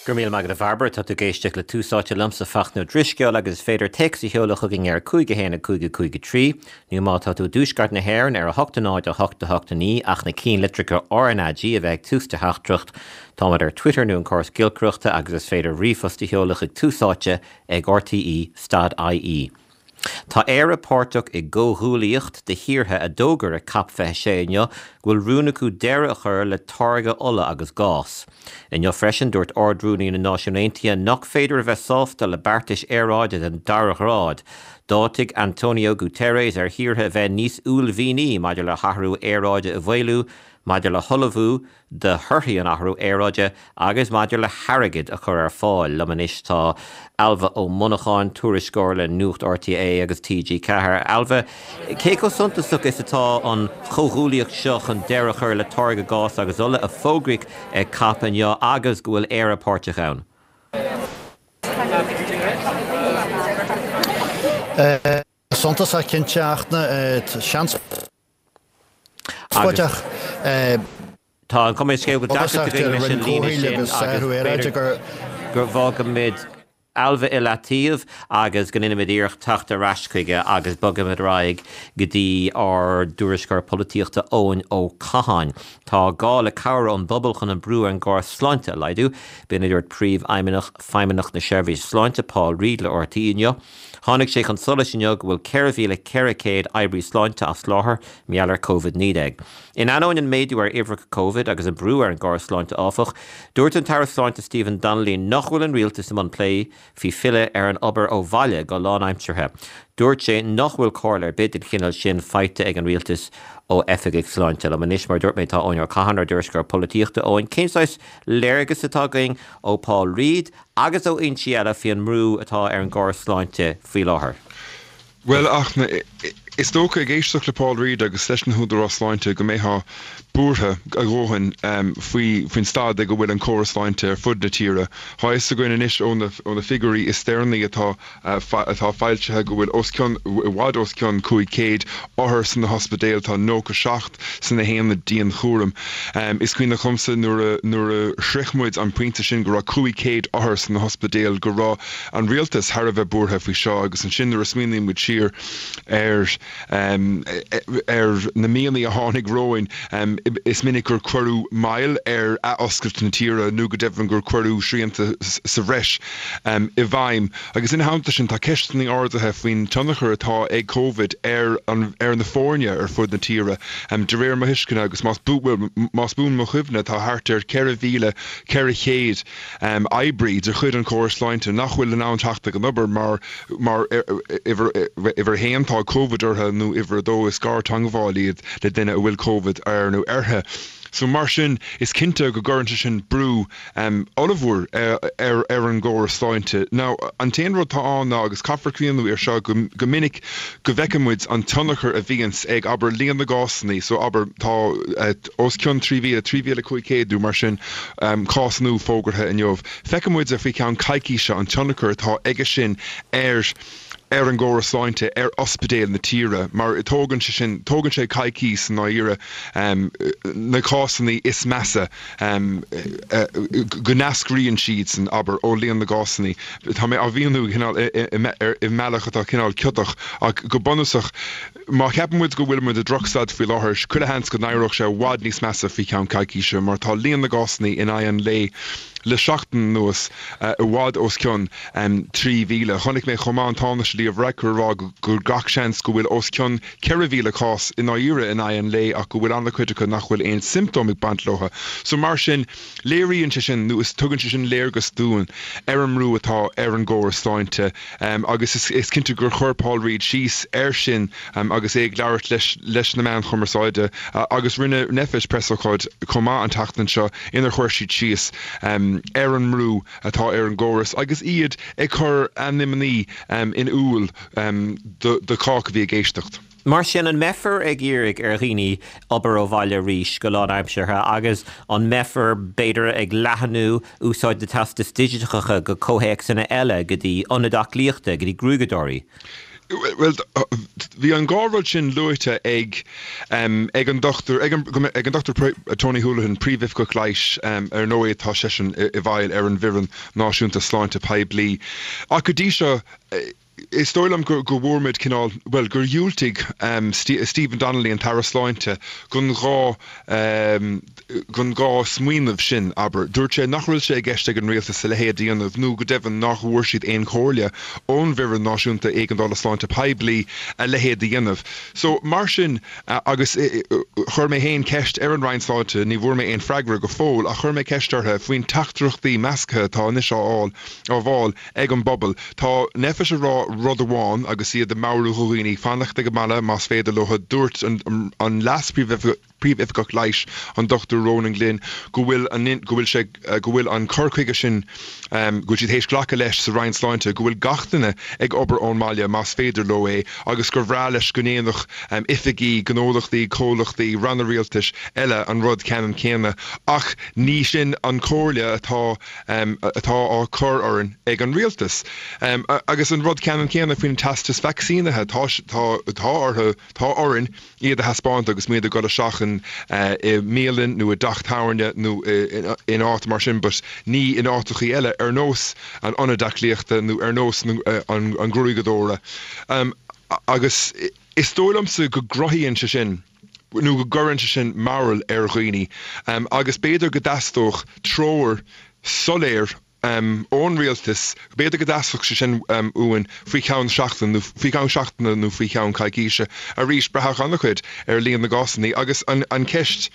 Go raibh míle maith agat a Bhairbre, tá tú ag éisteacht le Tús Áite liomsa Fachtna Ó Drisceoil agus is féidir téacs a sheoladh chugainn ar 5 1 5 5 3 nó má tá tú i dtuaisceart na hÉireann ar 8 0 8 8 9 ach na cinnlitreacha RnaG a bheith ag tús do theachtaireacht. Táimid ar Twitter nó an córas giolcaireachta agus is féidir ríomhphost a sheoladh chuig Tús Áite ag rte stad ie. Tá Éire páirteach i gcomhghuaillíocht de thíortha a d'fhógair ag Cop 26 inniu go bhfuil rún acu deireadh a chur le táirgeadh ola agus gás. Inniu freisin, dúirt Ard-Rúnaí na Náisiún Aontaithe nach féidir a bheith sásta le beartais aeráide den dara ghrád. D'áitigh Antonio Guterres ar thíortha a bheith níos uaillmhianaí maidir le hathrú aeráide a mhaolú, maidir le hullmhú do thorthaí an athrú aeráide agus maidir le hairgead a chur ar fáil. Liom anois tá Ailbhe Ó Monacháin, tuairisceoir le Nuacht RTÉ agus TG4. Ailbhe, cé chomh suntasach is atá an chomhghuaillíocht seo chun deireadh a chur le táirgeadh gás agus ola a fógraíodh ag Cop inniu agus go bhfuil Éire páirteach ann? Suntasach cinnte a Fhachtna, seans. Agus tá an chuma ar an scéal go bhfuil deacracht againn leis an líne sin agus b'fhéidir go bhfágfaimid Ailbhe i leataobh agus go ndéanfaimid iarracht teacht ar ais chuige agus bogfaimid ar aghaidh go dtí ár dtuairisceoir polaitíochta Eoin Ó Catháin. Tá gá le cabhair ón bpobal chun an brú ar an gcóras sláinte a laghdú, b'in a dúirt Príomhfheidhmeannach Feidhmeannacht na Seirbhíse Sláinte, Paul Reid le RTÉ inniu. Tháinig sé chun solais inniu go bhfuil 4,400 oibrí sláinte as láthair mar gheall ar Covid-19. In ainneoin an méadú ar uimhreacha Covid agus an brú ar an gcóras sláinte áfach, dúirt an tAire Sláinte Stephen Donnelly nach bhfuil an rialtas i mbun plé faoi filleadh ar an obair ó bhaile go lánaimseartha. Dúirt sé nach bhfuil comhairle ar bith den chineál sin faighte ag an rialtas ó oifigigh sláinte. Liom anois, mar a dúirt mé, tá Eoin Ó Catháin, ár dtuairisceoir polaitíochta. Eoin, cén saghas léargas atá againn ó Paul Reid agus ó fhoinsí eile faoi an mbrú atá ar an gcóras sláinte faoi láthair. Bhuel, a Fhachtna, is dócha, ag éisteacht le Paul Reid agus leis na húdaráis sláinte, go mbeifeá buartha a dhóthain faoi faoin staid ag a bhfuil an córas sláinte ar fud na tíre. Tá a fhios againn anois ó na ó na figiúirí is deireanaí atá atá foilsithe go bhfuil os cionn, i bhfad os cionn 500 othar sna hospidéil, tá 97 sna haonaid dianchúraim. Is cuimhneach liomsa nuair a nuair a shroich muid an pointe sin go raibh 500 othar sna hospidéil go raibh an rialtas thar a bheith buartha faoi seo agus ansin nuair a smaoiníonn muid siar ar ar na míonna a tháinig romhainn is minic gur cuireadh moill ar athoscailt na tíre nó go deimhin gur cuireadh srianta sa bhreis i bhfeidhm. Agus ina theannta sin, tá ceisteanna ardaithe faoin tionchar atá ag Covid ar an ar na foirne ar fud na tíre. De réir mo thuisceana, agus más bhuel, más buan mo chuimhne, tá thart ar 4,400 oibrí de chuid an chórais sláinte nach bhfuil in ann teacht ag an obair mar mar uimhir uimhir a haon tá Covid orthu nó uimhir a dó is garteagmháil iad le duine a bhfuil Covid air nó uirthi. So mar sin, is cinnte go gcuireann sé sin brú ollmhór ar an gcóras sláinte. Now, an t-aon rud atá ann ná, agus caithfear cuimhniú air seo, go minic go bhfeiceann muid an tionchar a bhíonns ag, abair, líon na gcásanna, so abair, tá os cionn 3,000, 3,500 nó mar sin, cás nua fógartha inniu. Feiceann muid faoi cheann coicíse an tionchar atá aige sin ar ar an gcóras sláinte, ar ospidéil na tíre, mar tógann sé sin, tógann sé coicís i ndáiríre na cásanna is measa go n-eascraíonn siadsan, abair, ó líon na gcásanna. Tá mé á mhíniú cineál i mbealach atá cineál ciotach, ach go bunúsach, má cheapann muid go bhfuil muid i drochstaid faoi láthair, chuile sheans go n-éireodh sé i bhfad níos measa faoi cheann coicíse, mar tá líon na gcásanna in aghaidh an lae le seachtain anuas i bhfad os cionn 3,000. Chonaic mé chomh maith an Tánaiste Leo Varadkar ag rá gur gach seans go bhfuil os cionn 4,000 cás i ndáiríre in aghaidh an lae ach go bhfuil an-chuid acu nach bhfuil aon siomptóim ag baint leo. So mar sin, léiríonn sé sin, nó is tugann sé sin léargas dúinn ar an mbrú atá ar an gcóras sláinte agus is cinnte gur chuir Paul Reid síos air sin agus é ag labhairt leis na meáin chumarsáide agus rinne Nphet preasócáid chomh maith an tseachtain seo inar chuir siad síos ar an mbrú atá ar an gcóras agus iad ag cur a n-imní in iúl do chách a bhí ag éisteacht. Mar sin, an mbeifear ag iarraidh ar dhaoine obair ó bhaile arís go lánaimseartha agus an mbeifear, b'fhéidir, ag leathnú úsáid na teastas digiteacha go comhthéacsanna eile, go dtí ionaid aclaíochta, go dtí gruaigeadóirí? Bhuel, bhí an dhá rud sin luaite ag ag an Dr ag an Dr Tony Holohan, Príomhoifigeach Leighis, ar ndóigh tá seisean i bhfeighil ar an bhFoireann Náisiúnta Sláinte Poiblí. Ach go dtí seo, is dóigh liom go bhfuair muid cineál, bhuel, gur dhiúltaigh Stephen Donnelly, an tAire Sláinte, don dhá don dhá smaoineamh sin, abair. Dúirt sé nach bhfuil sé i gceist ag an rialtas a leithéid a dhéanamh nó go deimhin nach bhfuair siad aon chomhairle ón bhFoireann Náisiúnta Éigeandála Sláinte Poiblí a leithéid a dhéanamh. So, mar sin, agus chuir mé féin ceist ar an Roinn Sláinte, ní bhfuair mé aon freagra go fóill, ach chuir mé ceist orthu faoin teachtaireachtaí measctha atá anois á fháil, á bhfáil ag an bpobal. Tá NPHET ag rá rud amháin agus iad ag meabhrú do dhaoine fanacht ag an mbaile más féidir leo. Dúirt an Leas-Phríomhoifigeach, Príomhoifigeach Leighis, an Dr Ronan Glynn, go bhfuil an, go bhfuil sé, go bhfuil an cur chuige sin, go bhfuil siad théis glacadh leis sa Roinn Sláinte, go bhfuil gach duine ag obair ón mbaile más féidir leo é agus gur bhreá leis go ndéanfadh oifigí, gnólachtaí, comhlachtaí, ranna rialtais eile an rud ceannann céanna. Ach ní sin an chomhairle atá, atá á cur orainn ag an rialtas. Agus an rud ceannann céanna faoin teastas vacsaínithe, tá, tá, tá orthu, tá orainn, iad a thaispeáint agus muid ag dul isteach in i mbialann nó i dteach tábhairne nó in áit mar sin but ní in áiteachaí eile ar nós an ionaid aclaíochta nó ar nós an ghruaigeadóra. Agus is dóigh liomsa go gcruthaíonn sé sin nó go gcuireann sé sin mearbhall ar dhaoine agus b'fhéidir go dteastódh treoir soiléir ón rialtas, b'fhéidir go dteastódh sé sin uainn faoi cheann seachtain nó faoi cheann seachtaine nó faoi cheann coicíse. Arís, braithfidh an-chuid ar líon na gcásanna agus an cheist,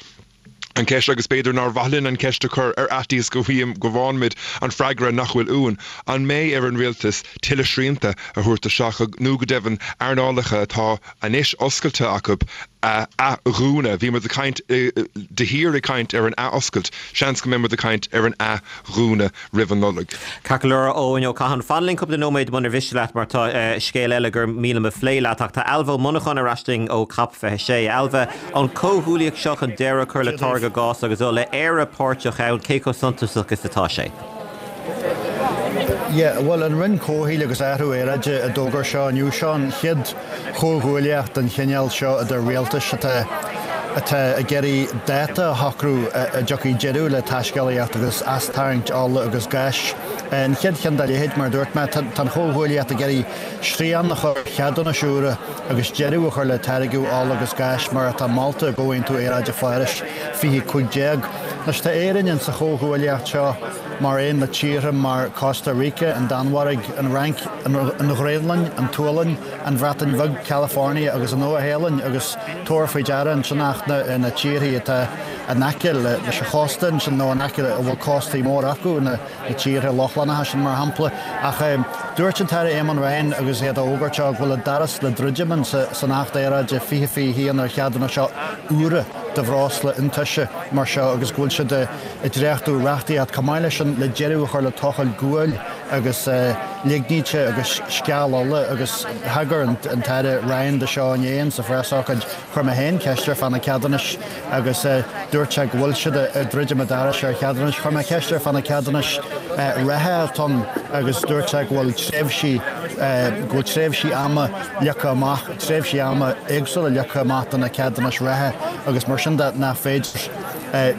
an cheist agus b'fhéidir nár mhaith linn an cheist a chur ar fhaitíos go go bhfaigheann muid an freagra nach bhfuil uainn, an mbeidh ar an rialtas tuilleadh srianta a thabhairt isteach nó go deimhin earnálacha atá anois oscailte acu a athdhúnadh. Bhí muid ag caint de shíor ag caint ar an athoscailt, seans go mbeidh muid ag caint ar an athdhúnadh roimh an Nollaig. Ceart go leor, a Eoin Ó Catháin, fan linn cúpla nóiméad munar mhiste leat mar tá scéal eile gur mian liom a phlé leat ach tá Ailbhe Ó Monacháin ar ais linn ó COP26. Ailbhe, an comhghuaillíocht seo chun deireadh a chur le táirgeadh gás agus ola, Éire páirteach ann, cé chomh suntasach is atá sé? Yeah, bhuel, an Roinn Comhshaoil agus Athrú Aeráide a d'fhógair seo inniu. Seo an chéad chomhghuaillíocht den chineál seo idir rialtais atá atá ag iarraidh dáta a shocrú a dtiocfaidh deireadh le taiscéalaíocht agus astarraingt ola agus gáis. An chéad cheann dá leithéid, mar a dúirt mé, tá an chomhghuaillíocht ag iarraidh srian a chur ar cheadúnais úra agus deireadh a chur le táirgeadh ola agus gáis mar atá molta i gComhaontú Aeráide Pháras 2015. Anois tá Éirinn in sa chomhghuaillíocht seo mar aon le tíortha mar Costa Rica, an Danmhairg, an Fhrainc, an Ghraonlainn, an tSualainn, an Bhreatain Bheag, California agus an Nua-Shéalainn agus tabhair faoi deara ansin ach na tíortha atá in aice leis an chósta ansin nó in aice a bhfuil cóstaí móra acu, na tíortha Lochlannacha sin mar shampla. Ach dúirt an tAire Eamon Ryan agus é á fhógairt seo go bhfuil an doras le druidim san Acht Aeráide 2021 ar cheadúnais úra de bhreosla iontaise mar seo agus go bhfuil siad ag dréachtú reachtaíocht chomh maith leis sin le deireadh a chur le tochailt guail agus ligníte agus sceall ola agus thagair an tAire Ryan do seo inné sa phreasócáid. Chuir mé féin ceist air fá na ceadúnais agus dúirt sé go bhfuil siad ag druidim an dorais ar cheadúnais. Chuir mé ceist air fá na ceadúnais reatha atá ann agus dúirt sé go bhfuil tréimhsí, go bhfuil tréimhsí ama leagtha amach, tréimhsí ama éagsúla leagtha amach do na ceadúnais reatha agus mar sin de nach féidir.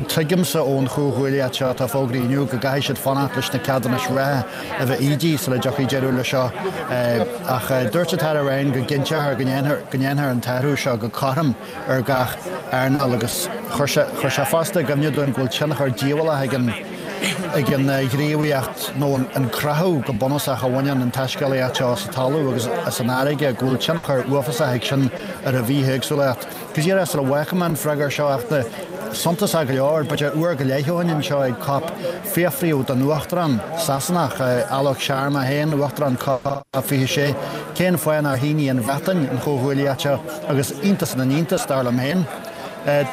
Tuigimse ón chomhghuaillíocht seo atá fógraithe inniu go gcaithfidh siad fanacht leis na ceadúnais reatha a bheith ídithe sula dtiocfaidh deireadh leis seo. Ach dúirt an tAire Ryan go gcinnteofar go ndéanfar an t-athrú seo go cothrom ar gach earnáil agus chuir sé chuir sé fosta i gcuimhne dúinn go bhfuil tionchar díobhálach ag an ag an ghníomhaíocht nó an creathadh go bunúsach a bhaineann an taiscéalaíocht seo sa talamh agus san fharraige go bhfuil tionchar uafásach ag sin ar an bhithéagsúlacht. Go díreach sula bhfágfaidh mé an freagra seo ach suntasach go leor, b'fhéidir uair go leith ó shin anseo ag COP, fiafraíodh den Uachtarán Sasanach, Alok Sharma féin, Uachtarán COP 26, cén fáth nár shínigh an Bhreatain an chomhghuaillíocht seo agus iontas na n-iontas, dar liom féin,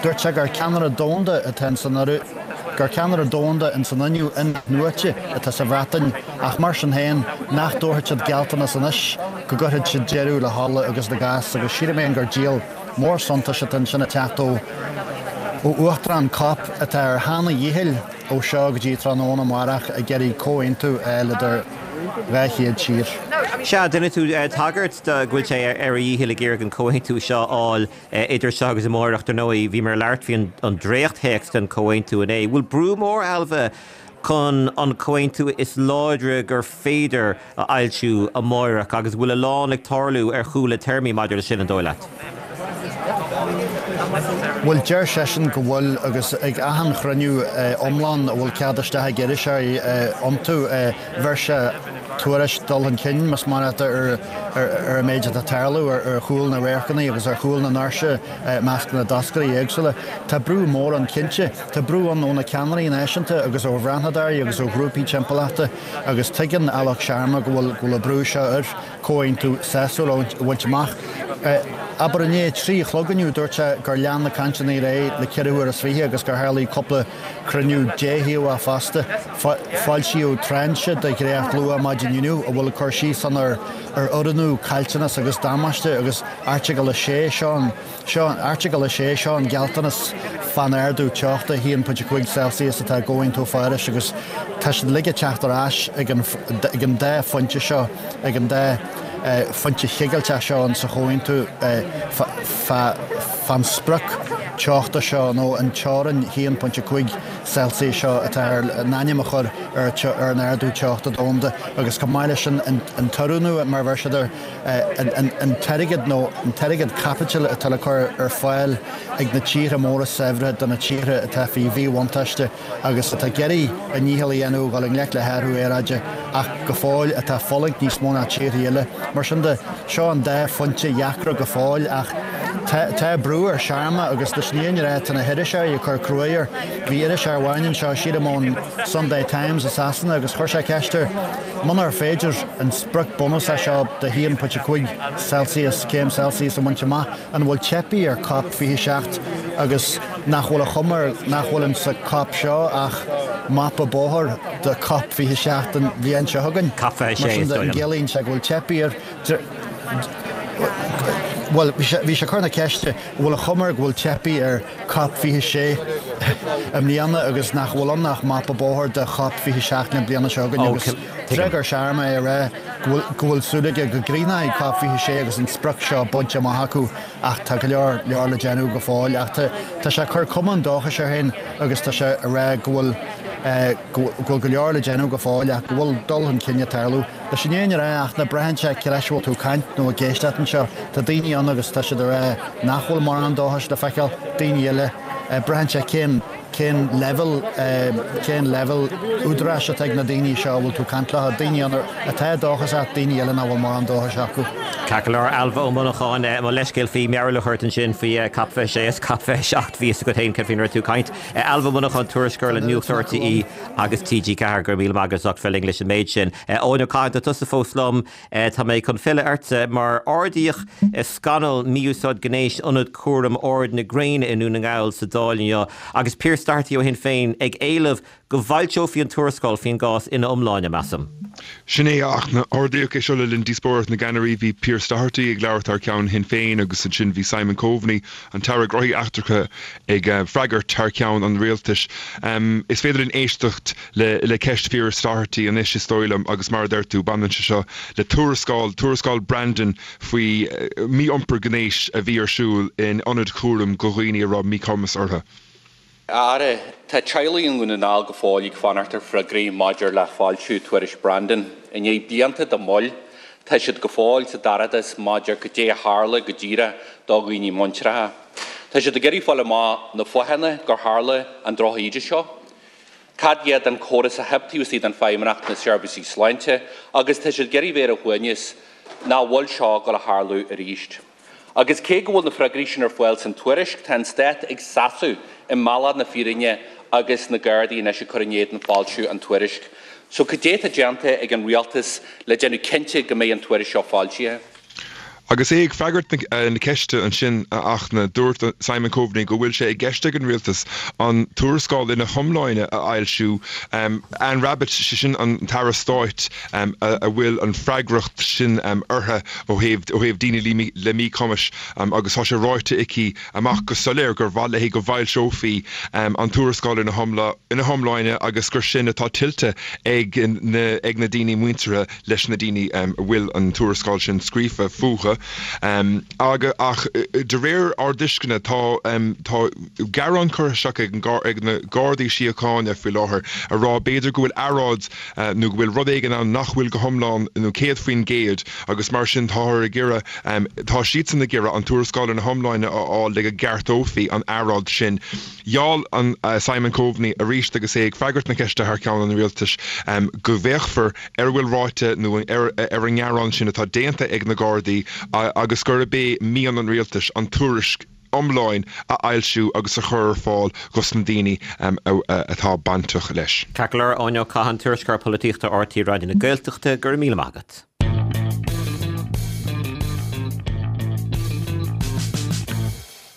dúirt sé gur ceannaire domhanda atá in san gur ceannaire domhanda in san fhuinneamh in-athnuaite atá sa Bhreatain ach mar sin féin nach dtabharfadh siad gealltanas anois go gcuirfeadh siad deireadh le hola agus le gás agus sílim féin gur díol mór suntais atá ansin ag teacht ó Uachtarán COP atá ar theann a dhíchill ó seo go dtí tráthnóna amárach ag iarraidh comhaontú a fháil idir. 200 tír. Sea, rinne tú tagairt do go bhfuil sé ar a dhícheall ag iarraidh an comhaontú seo a fháil idir seo agus amárach. Dar ndóigh, bhíomar ag labhairt faoi an dréacht-théacs den chomhaontú inné. Bhfuil brú mór, Ailbhe, chun an comhaontú is láidre gur féidir a fhoilsiú amáireach agus bhfuil a lán ag tarlú ar chúl na téarmaí maidir leis sin, an dóigh leat? Bhuel, deir seisean go bhfuil agus ag achan chruinniú iomlán a bhfuil cead isteach ag iriseoirí iontu, bheir sé tuairisc dul chun cinn, más maith leat, ar an méid atá ag tarlú ar chúl na radharcanna agus ar chúl na ndoirse i measc na dtoscairí éagsúla. Tá brú mór ann cinnte. Tá brú ann ó na ceannairí náisiúnta agus ó bhreathnadóirí agus ó ghrúpaí timpeallachta agus tuigeann Alok Sharma go bhfuil go bhfuil an brú seo air comhaontú sásúil a bhaint amach. Abair i ndiaidh a 3 a chlog inniu dúirt sé gur lean na cainteanna ar aghaidh le 24 huair agus gur tharlaigh cúpla cruinniú déthaobhach fosta. Foilsíodh tráinse de dhréacht luath maidin inniu a bhfuil cur síos ann ar oiriúnú, caillteanas agus damáiste agus Airteagal 6 seo an Seo, Airteagal 6, seo an gealltanas fán ardú teochta 1.5 Celsius atá i gComhaontú Pháras agus tá siad uilig ag teacht ar ais ag an ag an dá phointe seo, ag an dá phointe chigilteach seo in sa chomhaontú fán sprioc teochta seo nó an teorainn 1.5 Celsius seo atá ar in ainm a chur ar ar an ardú teochta domhanda agus chomh maith leis sin an t-oiriúnú mar a bheir siad air. an t-airgead nó an t-airgead caipitil atá le cur ar fáil ag na tíortha móra saibhre do na tíortha atá faoi mhíbhuntáiste agus atá ag iarraidh a ndícheall a dhéanamh dul i ngleic le hathrú aeráide ach go fóill atá ag fulaingt níos mó ná tíortha eile. Mar sin de, seo an dá phointe dheacra go fóill ach tá tá brú ar Sharma agus leis an fhírinne a rá tá na hiriseoirí ag cur cruaidh air. Bhí iriseoir amháin anseo, sílim ón Sunday Times i Sasana agus chuir sé ceist air, Munar féidir an sprioc bunúsach seo de 1.5 Celsius, céim Celsius, a bhaint amach, an bhfuil teipthe ar Cop 27 agus nach bhfuil an chuma air nach bhfuil insa Cop seo ach mapa bóthair do Cop 27 an bhliain seo chugainn? Cop 26, Mar sin is de, dóigh an liom. gciallaíonn sé go bhfuil teipthe air? Bhuel, bhí sé ag cur na ceiste, an bhfuil an chuma air go bhfuil teipthe ar Cop 26 i mbliana agus nach bhfuil ann ach mapa bóthair do Chop 27 na bliana seo chugainn agus d'fhreagair Sharma é ag rá go bhfuil go bhfuil súil aige go gcríochnóidh Cop 26 agus an sprioc seo bainte amach acu ach tá go leor leor le déanamh go fóill ach tá tá sé ag cur cuma an dóchais air féin agus tá sé ag rá go bhfuil go bhfuil go leor le déanamh go fóill ach go bhfuil dul chun cinn ag tarlú. Leis an fhírinne a rá ach ná braitheann sé cé leis a bhfuil tú ag caint nó ag éisteacht anseo. Tá daoine ann agus tá siad ag rá nach bhfuil mórán dóchais le feiceáil, daoine eile, braitheann sé cén, cén leibhéal, cén leibhéal údaráis atá ag na daoine seo a bhfuil tú ag caint leo. Daoine ann atá dóchasach, daoine eile nach bhfuil mórán dóchais acu. Ceart go leor, Ailbhe Ó Monacháin, mo leithscéal faoi mhearbhall a chur ort ansin faoi Cop 26 is Cop 27, bhí fhios agat féin cad faoina raibh tú ag caint. Ailbhe Ó Monacháin, tuairisceoir le Nuacht RTÉ agus TG4, go raibh míle maith agat as ucht bheith linn leis an méid sin. Eoin Ó Cadhain, tá tusa fós liom. Tá mé chun filleadh ortsa mar ardaíodh scannal mí-úsáid gnéis Ionad Cúraim Ard na Gréine i nDún na nGall sa Dáil inniu agus Pearse Doherty ó Shinn Féin ag éileamh go bhfoilseofaí an tuarascáil faoin gcás ina iomláine, measaim. Sin é, ach ardaíodh é seo le linn díospóireacht na gceannairí. Bhí Pearse Doherty ag labhairt thar ceann Shinn Féin agus ansin bhí Simon Coveney, an tAire Gnóthaí Eachtracha, ag freagairt thar ceann an rialtais. Is féidir linn éisteacht le ceist Phearse Doherty anois, is dóigh liom, agus mar a deir tú, baineann sé seo le tuarascáil, tuarascáil Brandon faoi mhí-iompar gnéis a bhí ar siúl in ionaid chúraim do dhaoine a raibh míchumas orthu. A Aire, tá teaghlaigh i nDún na nGall go fóill ag fanacht ar freagraí maidir le foilsiú tuairisc Brandon. I ndiaidh blianta de mhoill, tá siad go fóill sa dorchadas maidir goidé a tharla go díreach do dhaoine muinteartha. Tá siad ag iarraidh fáil amach na fáthanna gur tharla an droch-íde seo, cad iad an córas a theip taobh istigh den Feidhmeannacht na seirbhísí sláinte agus tá siad ag iarraidh bheith ar a shuaimhneas nach bhfuil seo ag dul a tharlú arís. Agus cé go bhfuil na freagraí sin ar fáil san tuairisc, tá an Stát ag seasamh i mbealach na fírinne agus na Gardaí anois ag cur in éadan foilsiú an tuairisc. So cad é atá déanta ag an Rialtas le déanamh cinnte go mbeidh an tuairisc seo foilsithe? Agus é ag freagairt na ceiste ansin, a Fhachtna, dúirt Simon Coveney go bhfuil sé i gceist ag an Rialtas an tuarascáil ina hiomláine a fhoilsiú. Anne Rabbitte, sé sin an tAire Stáit a bhfuil an freagracht sin uirthi ó thaobh daoine le míchumais agus tá sé ráite aici amach go soiléir gur mhaith léi go bhfoilseofaí an tuarascáil ina hiomláine agus gur sin atá tuillte ag na daoine muinteartha leis na daoine a bhfuil an tuarascáil sin scríofa fúthu. Ach de réir ár dtuisceana tá tá gearán curtha isteach ag na Gardaí Síochána faoi láthair a rá b'fhéidir go bhfuil earráid nó go bhfuil rud éigin ann nach bhfuil go hiomlán nó 100% agus mar sin táthar ag iarraidh tá siadsan ag iarraidh an tuarascáil ina hiomláine a fháil le go gceartófaí an earráid sin. Gheall an Simon Coveney arís agus é ag freagairt na ceiste thar ceann an Rialtais go bhféachfar ar a bhfuil ráite nó ar an ngearán sin atá déanta ag na Gardaí agus gurb é mian an Rialtais an tuairisc iomlán a fhoilsiú agus a chur ar fáil dhos na daoine atá bainteach leis. Ceart go leor, Eoin Ó Catháin, Tuairisceoir Polaitíochta RTÉ Raidió na Gaeltachta, go raibh míle maith agat.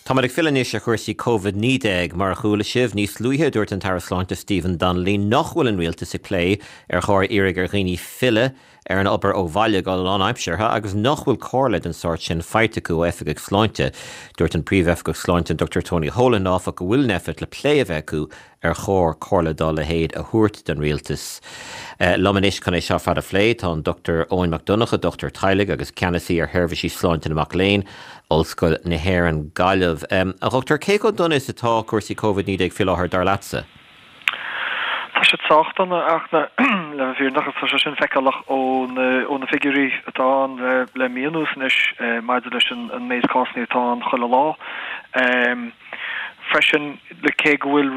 Táimid ag filleadh anois ar chúrsaí Covid-19. Mar a chuala sibh níos luaithe, dúirt an tAire Sláinte Stephen Donnelly nach bhfuil an rialtas ag plé ar chóir iarraidh ar dhaoine filleadh ar an obair ó bhaile go lánaimseartha agus nach bhfuil comhairle den sórt sin faighte acu ó oifigigh sláinte. Dúirt an Príomhoifigeach Sláinte an Dr Tony Holohan áfach go bhfuil Nphet le plé a bheith acu ar chóir comhairle dá leithéid a thabhairt don rialtas. Liom anois chun é seo ar fad a phlé tá an Dr Eoin Mac Donncha, dochtúir teaghlaigh agus ceannasaí ar sheirbhísí sláinte na mac léinn, Ollscoil na hÉireann, Gaillimh. A dhochtúir, cé chomh dona is atá cúrsaí Covid-19 faoi láthair, dar leatsa? Tá siad sách dona ach le bheith fírinneach agus tá sé sin feiceálach ó na figiúirí atá ann le mí anuas anois maidir leis an méid cásanna atá ann chuile lá. Freisin, cé go bhfuil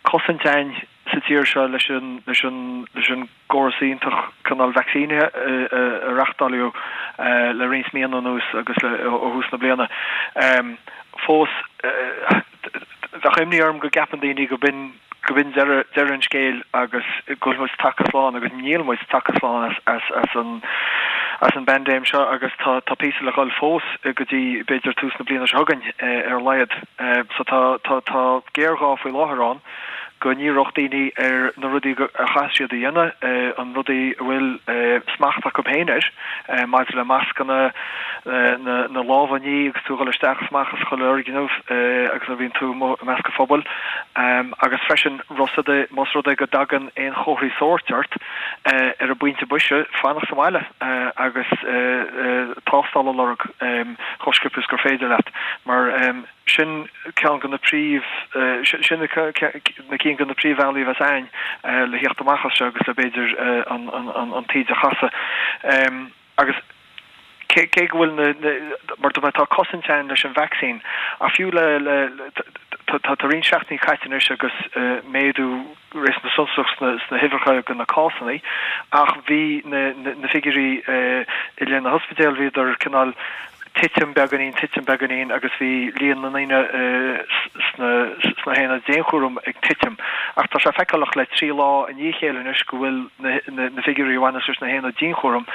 cosaint a'inn sa tír seo leis an leis an leis an gcóras iontach cineál vacsaínithe a reachtáileadh le roinnt míonna anuas agus le ó thús na bliana, fós bheadh imní orm go gceapann daoine go b'in go b'in deireadh deireadh an scéil agus go bhfuil muid tagtha slán agus níl muid tagtha slán as as as an as an bpaindéim seo agus tá tá píosa le dhul fós go dtí b'fhéidir tús na bliana seo chugainn ar a laghad. So tá tá tá géarghá faoi láthair ann go ndíreodh daoine ar na rudaí a chaithfidh siad a dhéanamh, an rudaí a bhfuil smacht acu féin air maidir le mascanna, na lámha a ní agus tú ag dul isteach is amach as chuile fhoirgneamh agus nuair a bhíonn tú amuigh i measc an phobail agus freisin más rud é go dtagann aon chomharthaí sóirt ort ar an bpointe boise fanacht sa bhaile agus tástáil a lorg chomh sciobtha is gur féidir leat mar Sin ceann de na príomh, sin na cinn de na príomhbhealaí a bheas a'ainn le theacht amach as seo agus le b'fhéidir an taoide a chasadh. Agus cé cé go bhfuil na, mar dúirt mé, tá cosaint a'ainn leis an vacsaín ach fiú le, le, tá tá roinnt seachtainí caite anois agus méadú réasúnta suntasach sna sna huimhreacha de na cásanna ach bhí na na figiúirí i leith na hospidéal, bhíodar cineál titim beagáinín, titim beagáinín agus bhí líon na ndaoine sna sna haonaid dianchúraim ag titim. Ach tá sé feiceálach le 3 lá i ndiaidh a chéile anois go bhfuil na na figiúirí a bhaineas leis na haonaid dianchúraim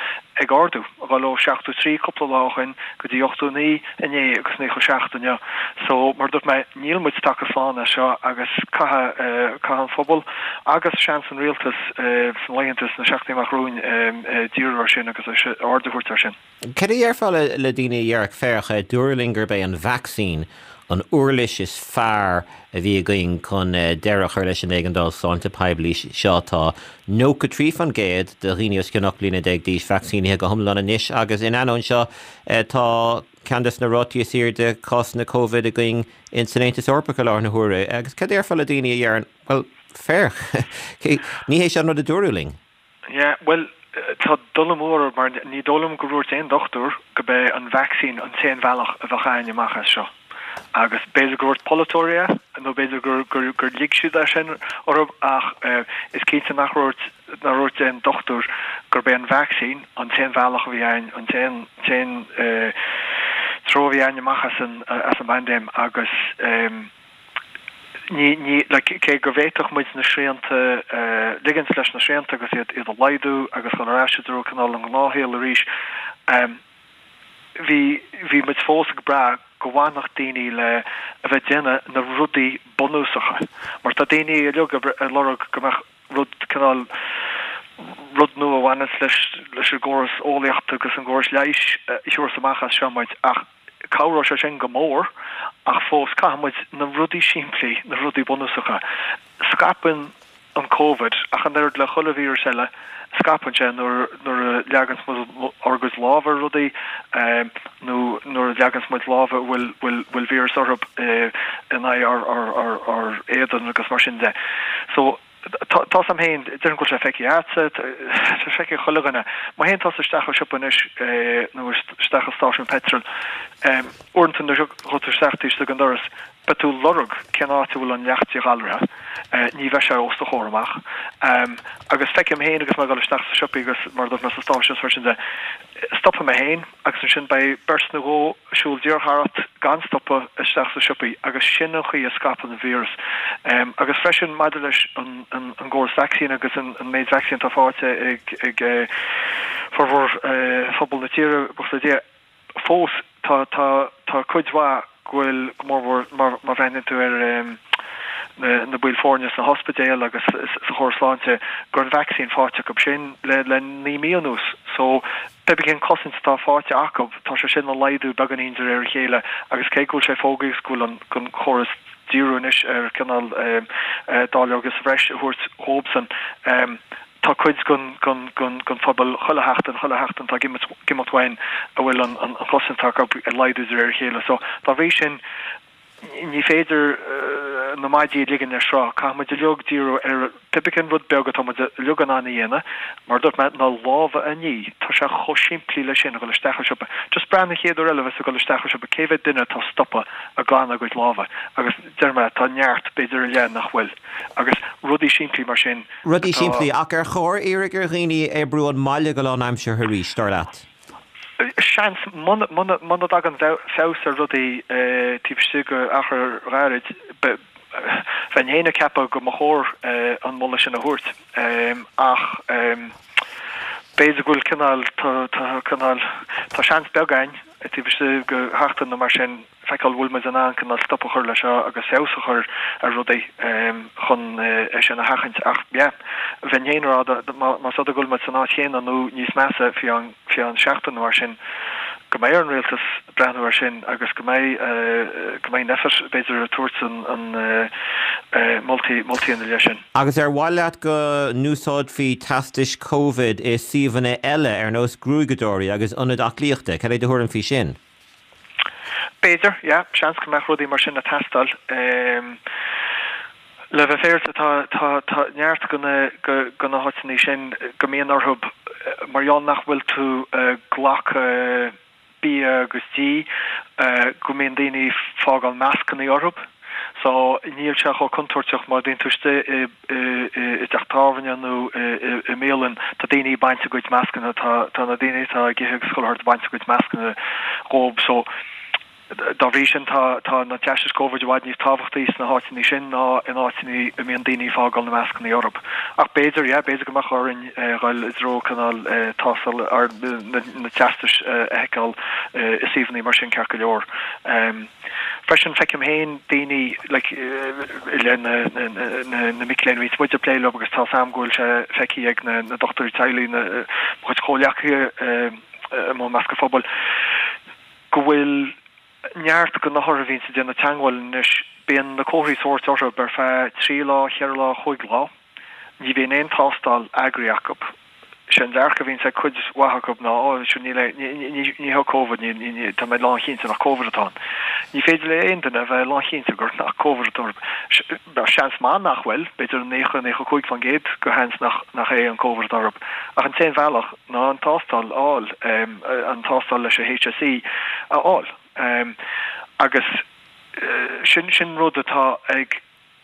ag ardú, ag dul ó 73 cúpla lá ó shin go dtí 89 inné agus 97 inniu. So, mar a dúirt mé, níl muid tagtha slán as seo agus caithfidh caithfidh an phobal agus seans an rialtas sna laethanta, sna seachtainí amach romhainn díriú air sin agus aird a thabhairt air sin. Cad a dhéarfá le daoine a déarfadh, féach, dúradh linn gurb é an vacsaín an uirlis is fearr a bhí againn chun deireadh a chur leis an éigeandáil sláinte poiblí seo. Tá 93% de dhaoine os cionn 18 bliana d'aois vacsaínithe go hiomlán anois agus in ainneoin seo tá ceann de na rátaí is airde cásanna Covid againn in san Aontas Eorpach i láthair na huaire. Agus cad a déarfá le daoine a deireann, bhuel, féach, ní hé seo an rud a dúradh linn. Yeah, bhuel, tá dul amú orthu mar ní dóigh liom gur dhúirt aon dochtúir go b'é an vacsaín an t-aon bhealach a bheadh a'ainn amach as seo. Agus b'fhéidir gur dhúirt polaiteoirí é nó b'fhéidir gur, gur, gur lig siad é sin orthu ach is cinnte nach dhúirt, nár dhúirt aon dochtúir gurb é an vacsaín an t-aon bhealach a bhí a'ainn, an t-aon, t-aon treo a bhí a'ainn amach as an, as an bpaindéim agus. Ní, ní, like, cé go bhféadfadh muid na srianta, ligint leis na srianta agus iad, iad a laghdú agus dul ar ais i dtreo cineál an ghnáthshaoil arís, ehm, Bhí, bhí muid fós ag brath go bhfanfadh daoine le a bheith ag déanamh na rudaí bunúsacha. Mar tá daoine uilig ag lorg go mbeadh rud, cineál, rud nua a bhaineanns leis, leis an gcóras eolaíochta agus an gcóras leighis a thabharfas amach as seo muid. Ach cabhróidh sé sin go mór ach fós caithfidh muid na rudaí simplí, na rudaí bunúsacha. Scaipeann an Covid, ach an oiread le chuile víreas eile, scaipeann sé nuair nuair a leaganns muid ár gcuid lámha ar rudaí nó nuair a leaganns muid lámha a bhfuil bhfuil bhfuil víreas orthu in aghaidh ár ár ár ár éadan agus mar sin de. So tá tá 's a'm féin, déarfainn go bhfuil sé feicthe a'dsa, tá sé feicthe ag chuile dhuine. Má théann tusa isteach i siopa anois nó isteach i stáisiún peitril, uaireanta nuair a ghabhann tú isteach taobh istigh den doras, Beidh tú ag lorg cén áit a bhfuil an leacht díghalraithe, ní bheidh sé os do chomhair amach. Agus feicim féin agus mé ag dul isteach sa siopaí agus mar a dúirt mé sa stáisiún is mar sin de, stopfaidh mé féin agus ansin beidh beirt nó dhó ag siúl díreach tharat gan stopadh isteach sa siopaí agus sin an chaoi a scaipeann an víreas. Agus freisin maidir leis an gcóras vacsaín agus an méid vacsaín atá faighte ag formhór phobal na tíre, buíochas le Dia, Fós, tá, tá, tá cuid mhaith go bhfuil, go mórmhór má, má bhreathnaíonn tú ar na, na baill foirne sna hospidéil agus sa chóras sláinte, go raibh an vacsaín faighte acu sin le, le naoi mí anuas. So, pé ar bith cén cosaint atá faighte acu, tá sé sin ag laghdú beagáinín de réir a chéile agus cé go bhfuil sé fógraithe agus go bhfuil an, an córas díriú anois ar cineál dáileoga sa bhreis a thabhairt dhóibhsan, Tá cuid den phobal chuile sheachtain, chuile sheachtain atá ag imeacht uainn a bhfuil an chosaint acu ag laghdú de réir a chéile. So, dá bhrí sin, ní féidir na maidí a ligean ar sruth. Caithfidh muid uilig díriú ar pé ar bith cén rud beag atá muid uilig in ann a dhéanamh, mar a dúirt mé, na lámha a ní. Tá sé chomh simplí leis sin, a dhul isteach i siopa. Just breathnaigh an chéad uair eile a bheas tú ag dul isteach i siopa, cé mhéad duine atá ag stopadh ag glanadh a gcuid lámha? Agus deir mé, tá neart, b'fhéidir a leath nach bhfuil. Agus rudaí simplí mar sin. Rudaí simplí, ach ar chóir iarraidh ar dhaoine oibriú ón mbaile go lánaimseartha arís, dar leat? Seans, muna dtagann feabhas ar rudaí taobh istigh d'achar ghairid, bheinn féin ag ceapadh go mba chóir an moladh sin a thabhairt. Ach b'fhéidir go bhfuil cineál, tá cineál, tá seans beag againn taobh istigh de sheachtain nó mar sin, feiceáil bhfuil muid in ann cineál stop a chur leis seo agus feabhas a chur ar rudaí chun é sin a sheachaint. Ach yeah, bheinn féin ag rá más rud é go bhfuil muid san áit chéanna nó níos measa faoi cheann seachtain nó mar sin, go mbeidh ar an rialtas breathnú air sin agus go mbeidh go mbeidh Nphet b'fhéidir ag tabhairt an moltaí moltaí ina leith sin. Agus ar mhaith leat go n-úsáidfí teastais Covid i suíomhanna eile ar nós gruaigeadóirí agus ionaid aclaíochta? Cad é do thuairim faoi sin? B'fhéidir, yeah, seans go mbeadh rudaí mar sin ag teastáil. Le bheith féaráilte, tá, tá, tá neart de na, de na háiteanna sin go mbíonn orthu, mar gheall nach bhfuil tú ag glacadh bia agus dí, go mbíonn daoine ag fágáil mascannaí orthu. So, níl sé chomh contúirteach má bhíonn tú istigh i, i dteach tábhairne nó i mbialann, tá daoine ag baint a gcuid mascanna, tá tá na daoine atá ag ithe agus chuile shórt ag baint a gcuid mascanna dhóib. So, dá bhrí sin tá tá na teastais Covid i bhfad níos tábhachtaí sna háiteanna sin ná in áiteanna a mbíonn daoine ag fágáil na mascanna orthu. Ach b'fhéidir, yeah, b'fhéidir go mbeadh orainn dhul i dtreo cineál tástáil ar na na teastais a sheiceáil i suíomhanna mar sin ceart go leor. Freisin, feicim féin daoine, like, i leith na, na, na mic léinn, bíonn muid ag plé leo agus tá 's a'm go bhfuil sé feicthe ag na, na dochtúirí teaghlaigh, na, mo chuid comhghleacaithe i measc an phobail, go bhfuil neart de na hothair a bhíonns ag déanamh teagmháil anois, bíonn na comharthaí sóirt orthu ar feadh trí lá, cheithre lá, chúig lá. Ní bhíonn aon tástáil eagraithe acu. Sé an dearcadh a bhíonns ag cuid mhaith acu ná, ó, sure, níl é, ní, ní, ní hé Covid, ní, ní, ní, tá mé lánchinnte nach Covid atá ann. Ní féidir le aon duine a bheith lánchinnte gur nach Covid atá orthu. Seans maith nach bhfuil, b'fhéidir 90, 95% de sheans nach, nach é an Covid atá orthu. Ach an t-aon bhealach ná an tástáil a fháil, an tástáil leis an HSE a fháil. Agus sin, sin rud atá ag,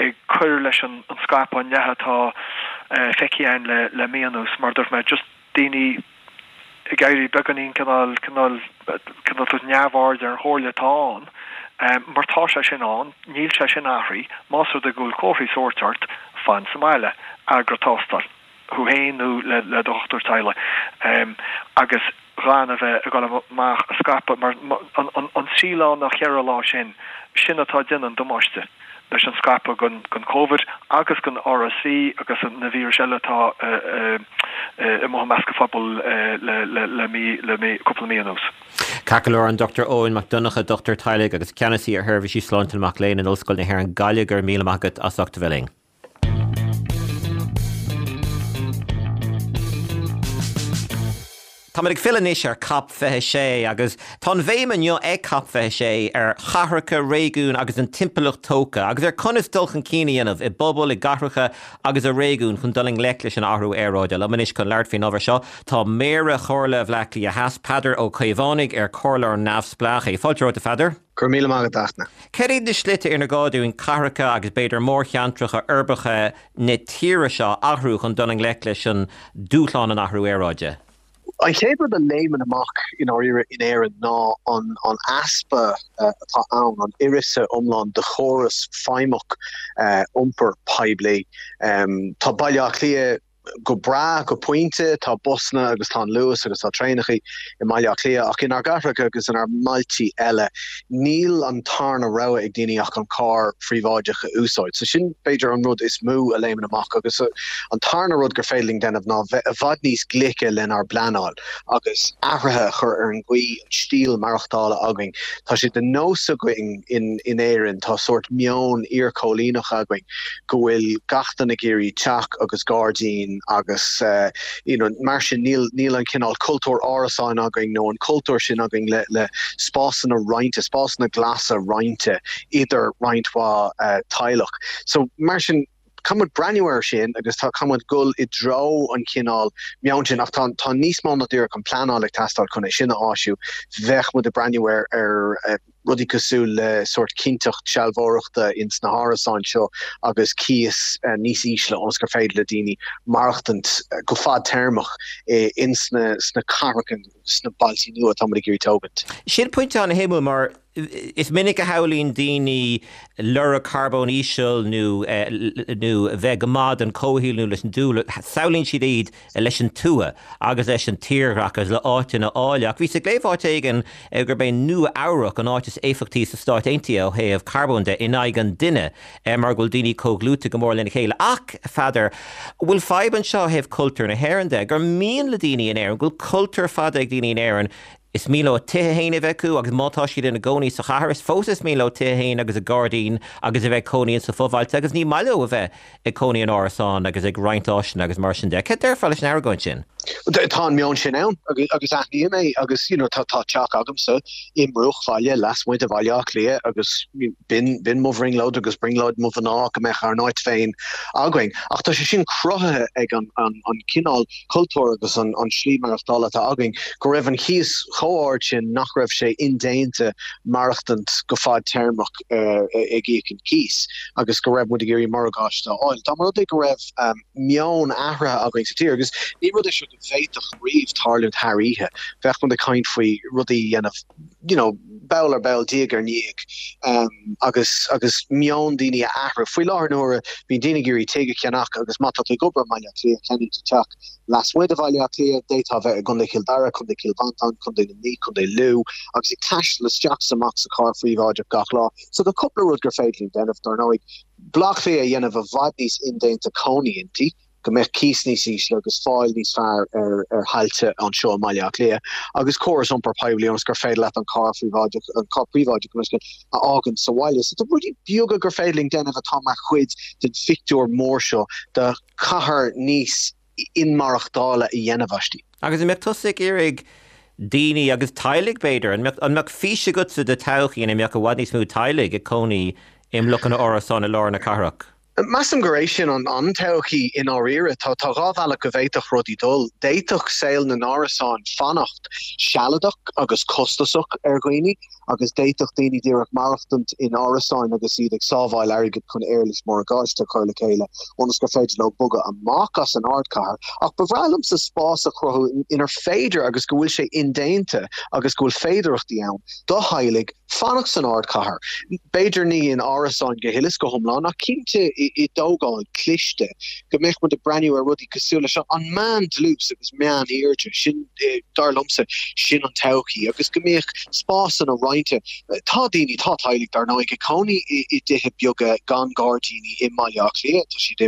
ag cur leis an scaipeadh, an leathadh atá feicthe againn le mí anuas, mar a dúirt mé, just daoine ag éirí beagáinín cineál, cineál, cineál tabhairt neamhaird ar an chomhairle atá ann, mar tá sé sin ann, níl sé sin athraithe, más rud é go bhfuil comharthaí sóirt ort, fan sa mbaile, eagraigh tástáil, thú féin nó le do dhochtúir teaghlaigh, agus. gan a bheith ag dul amach ag scaipeadh mar an 3 lá nó 4 lá sin, sin atá ag déanamh an damáiste leis an scaipeadh den Covid agus den RSV agus na víris eile atá amuigh i measc an phobail le mí, le mí, cúpla mí anuas. Ceart go leor, an Dr Eoin Mac Donncha, dochtúir teaghlaigh agus ceannasaí ar sheirbhísí sláinte na mac léinn in Ollscoil na hÉireann Gaillimh, go raibh míle maith agat as ucht a bheith linn. Táimid ag filleadh anois ar Cop 26 agus tá an bhéim inniu ag Cop 26 ar chathracha, réigiúin agus an timpeallacht tógtha agus ar conas dul chun cinn a dhéanamh i bpobail, i gcathracha agus i réigiúin chun dul i ngleic leis an athrú aeráide. Liom anois chun labhairt faoin ábhar seo tá Méara Chomhairle Bhaile Átha Cliath Theas, Peadar Ó Caomhánaigh, ar comhairleoir neamhspleách é. Fáilte romhat, a Pheadair. Go raibh míle maith agat, a Fhachtna. Cad iad na slite inar gá dúinn cathracha agus b'fhéidir mórcheantracha uirbeacha na tíre seo a athrú chun dul i ngleic leis an dúshlán an athrú aeráide? An chéad rud a léimeann amach i ndáiríre in Éirinn ná an an easpa atá ann, an uireasa iomlán de chóras feidhmeach iompair poiblí. Tá Baile Átha Cliath go breá go pointe, tá busanna agus tá an Luas agus tá traenachaí i mBaile Átha Cliath ach inár gcathracha agus inár mbailtí eile níl an tarna rogha ag daoine ach an carr phríobháideach a úsáid. So sin b'fhéidir an rud is mó a léimeann amach agus an tarna rud gur féidir linn déanamh ná bheith i bhfad níos glice lenár bpleanáil agus athruithe a chur ar an gcaoi, an stíl maireachtála againn. Tá sé de nós againn in in Éirinn, tá sórt meon iarchóilíneach againn go bhfuil gach duine ag iarraidh teach agus gairdín agus you know mar sin níl níl an cineál cultúr árasáin againn nó an cultúr sin againn le le spásanna roinnte, spásanna glasa roinnte idir roinnt mhaith teaghlach. So mar sin caithfidh muid breathnú air sin agus tá caithfidh muid dul i dtreo an chineál meoin sin ach tá tá níos mó ná díreach an pleanáil ag teastáil chun é sin a áisiú. Bheadh muid ag breathnú ar ar rudaí cosúil le sórt cinnteacht sealbhóireachta ins na hárasáin seo agus cíos níos ísle ionas gur féidir le daoine maireachtaint go fadtéarmach ins na sna cathracha sna bailtí nua atá muid ag iarraidh tógaint. Sin pointe an-shuimiúil mar Is minic a shamhlaíonn daoine lorg carbóin íseal nó nó bheith go maith don chomhshaol nó leis an dúlra, samhlaíonn siad iad leis an tuath agus leis an tírdhreach agus le áiteanna áille. Ach bhíos ag léamh áit éigin gurb é Nua Eabhrac an áit is éifeachtaí sna Stáit Aontaithe ó thaobh carbóin de in aghaidh an duine mar go bhfuil daoine chomh dlúite go mór lena chéile. Ach, a Pheadair, bhfuil fadhb anseo ó thaobh cultúr na hÉireann de, gur mian le daoine in Éirinn, go bhfuil cultúr fada ag daoine in Éirinn, Is mian leo a dtithe féin a bheith acu agus má tá siad ina gcónaí sa chathair, is fós is mian leo tithe féin agus a gairdín agus a bheith ag cónaí insa fobhailte agus ní maith leo a bheith ag cónaí in árasán agus ag roinnt áiseanna agus mar sin de. Cad déarfá leis an argóint sin? Tá an meon sin ann agus aithním é agus you know tá teach agamsa i mbruachbhaile lasmuigh de Bhaile Átha Cliath agus b'in b'in mo bhrionglóid agus brionglóid mo mhná go mbeadh ár n-áit féin againn. Ach tá sé sin cruthaithe ag an an cineál cultúr agus an slí maireachtála atá againn, go raibh an chíos chomh ard sin nach raibh sé indéanta maireachtaint go fadtéarmach ag íoc an cíos agus go raibh muid ag iarraidh morgáiste a fháil. Dá mba rud é go raibh meon athraithe againn sa tír, agus ní rud é seo go bhféadfadh riamh tarlúint thar oíche, bheadh muid ag caint faoi rudaí a dhéanamh you know, ball ar ball, diaidh ar ndiaidh, agus agus meon daoine a athrú. Faoi láthair na huaire, bíonn daoine ag iarraidh tigh a cheannach agus má tá tú ag obair i mBaile Átha Cliath, ceannaíonn tú teach lasmuigh de Bhaile Átha Cliath, d'fhéadfá a bheith i gContae Chill Dara, Contae Chill Mhantáin, Contae Luimnigh, Contae Lú, agus ag taisteal isteach is amach sa charr phríobháideach gach lá. So tá cúpla rud gur féidir linn déanamh, dar ndóigh, Baile Átha Cliath a dhéanamh i bhfad níos indéanta cónaí inti, go mbeadh cíos níos ísle agus fáil níos fearr ar thailte anseo i mBaile Átha Cliath agus córas iompair poiblí ionas gur féidir leat an carr phríobháideach, an carr príobháideach gabh mo leithscéal, a fhágaint sa bhaile. So tá rudaí beaga gur féidir linn déanamh atá mar chuid den phictiúr mór seo de chathair níos inmaireachtála a dhéanamh aisti. Agus an mbeadh tusa ag iarraidh daoine agus teaghlaigh b'fhéidir, an mbeadh, an mbeadh fís agatsa de todhchaí ina mbeadh i bhfad níos mó teaghlaigh ag cónaí i mblocanna árasán i lár na cathrach? Measaim gur é sin an todhchaí i ndáiríre. Tá 2 bhealach go bhféadfadh rudaí dul. D'fhéadfadh saol na n-árasán fanacht sealadach agus costasach ar dhaoine agus d'fhéadfadh daoine díreach maireachtaint in árasáin agus iad ag sábháil airgid chun éarlais morgáiste a chur le chéile ionas gur féidir leo bogadh amach as an ardchathair. Ach ba bhreá liomsa spás a chruthú inar féidir agus go bhfuil sé indéanta agus go bhfuil féidearthachtaí ann do theaghlaigh fanacht san ardchathair, b'fhéidir ní in árasáin go huile is go hiomlán, ach cinnte i. i dtógáil cliste, go mbeadh muid ag breathnú ar rudaí cosúil leis an meán-dlús agus meán-airde, sin, dar liomsa, sin an todhchaí, agus go mbeadh spásanna roinnte. Tá daoine, tá teaghlaigh, dar ndóigh, ag cónaí i dtithe beaga gan gairdíní i mBaile Átha Cliath, tá siad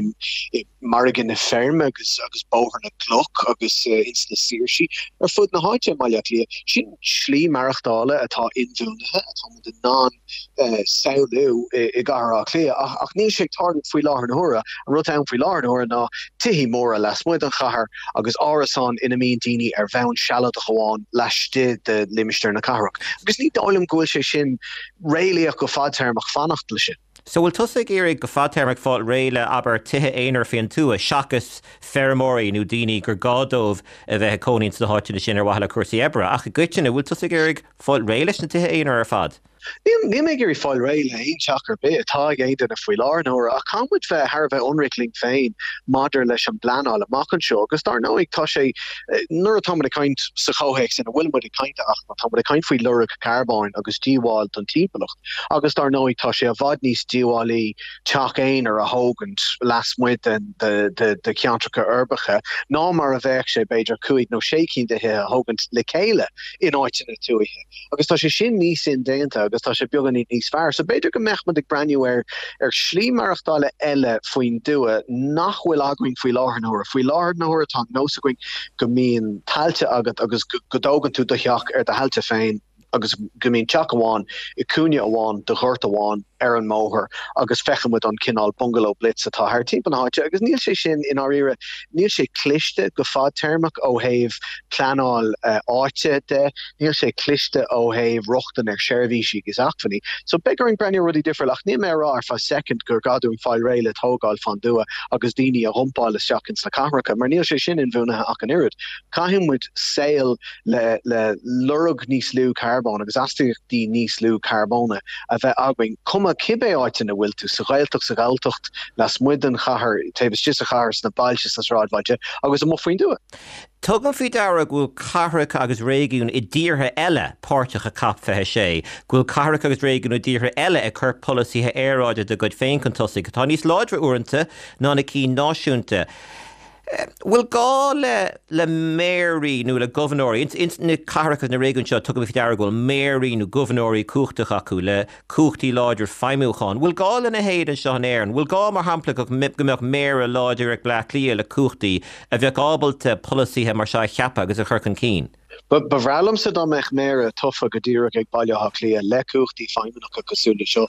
i Margadh na Feirme agus agus Bóthar na gCloch agus ins na Saoirsí ar fud na háite i mBaile Átha Cliath. Sin slí maireachtála atá inbhuanaithe, atá muid in ann samhlú i gCathair Átha Cliath ach níl sé ag tarlú faoi láthair na huaire. An rud atá ann faoi láthair na huaire ná tithí móra lasmuigh den chathair agus árasáin ina mbíonn daoine ar bhonn sealadach amháin laistigh de limistéar na cathrach. Agus ní dóigh liom go bhfuil sé sin réalaíoch go fadtéarmach fanacht leis sin. So bhfuil tusa ag iarraidh go fadtéarmach fáil réidh le, abair, tithe aonair faoin tuath seachas feirmeoirí nó daoine gur gá dóibh a bheith ag cónaí ins na háiteanna sin ar mhaithe le cúrsaí oibre? Ach i gcoitinne, bhfuil tusa ag iarraidh fáil réidh leis na tithe aonair ar fad? Níl mé ag iarraidh fáil réidh le haon teach ar bith atá ag aon duine faoi láthair na huaire, ach caithfidh muid bheith thar a bheith ionraic linn féin maidir leis an bpleanáil amach anseo agus dar ndóigh tá sé, nuair atá muid ag caint sa chomhthéacs ina bhfuil muid ag caint, ach tá muid ag caint faoi lorg carbóin agus díobháil don timpeallacht agus dar ndóigh tá sé i bhfad níos díobhálaí teach aonair a thógaint lasmuigh den de cheantracha uirbeacha ná mar a bheadh sé b'fhéidir cúig nó sé cinn de thithe a thógaint le chéile in áiteanna tuaithe. Agus tá sé sin níos indéanta agus tá sé beagáinín níos fearr. So b'fhéidir go mbeadh muid ag breathnú ar ar shlí maireachtála eile faoin dtuath nach bhfuil againn faoi láthair na huaire. Faoi láthair na huaire tá an nós againn go mbíonn tailte agat agus go dtógann tú do theach ar do thailte féin agus go mbíonn teach amháin i gcúinne amháin de ghort amháin ar an mbóthar agus feiceann muid an cineál bungalow blitz atá thart timpeall na háite agus níl sé sin i ndáiríre, níl sé cliste go fadtéarmach ó thaobh pleanáil áite de, níl sé cliste ó thaobh rochtain ar sheirbhísí agus acmhainní. So beidh orainn breathnú ar rudaí difriúla ach níl mé ag rá ar feadh soicind gur gá dúinn fáil réidh le tógáil fán dtuath agus daoine a dhumpáil isteach ins na cathracha mar níl sé sin inbhuanaithe ach an oiread. Caithfidh muid saol le le lorg níos lú carbóin agus astaíochtaí níos lú carbóna a bheith againn, cuma cibé áit ina bhfuil tú, sa Ghaeltacht, sa Ghalltacht, lasmuigh den chathair, taobh istigh sa chathair, sna bailte, sna sráidbhailte agus amuigh faoin dtuath. Tugaim faoi deara go bhfuil cathracha agus réigiúin i dtíortha eile páirteach i Cop 26, go bhfuil cathracha agus réigiúin i dtíortha eile ag cur polasaithe aeráide dá gcuid féin chun tosaigh, atá níos láidre uaireanta ná na cinn náisiúnta. Bhfuil gá le le méaraí nó le gobharnóirí, ins ins na cathracha na réigiúin seo tugaim faoi deara go bhfuil méaraí nó gobharnóirí cumhachtach acu le cumhachtaí láidre feidhmiúcháin. Bhfuil gá lena leithéid anseo in Éirinn? Bhfuil gá mar shampla go go mbeadh méara láidir ag Bleá Cliath le cumhachtaí a bheadh ábalta polasaithe mar seo a cheapadh agus a chur chun cinn? Ba bhreá liomsa dá mbeadh Méara tofa go díreach ag Baile Átha Cliath le cumhachtaí feidhmeannacha cosúil le seo.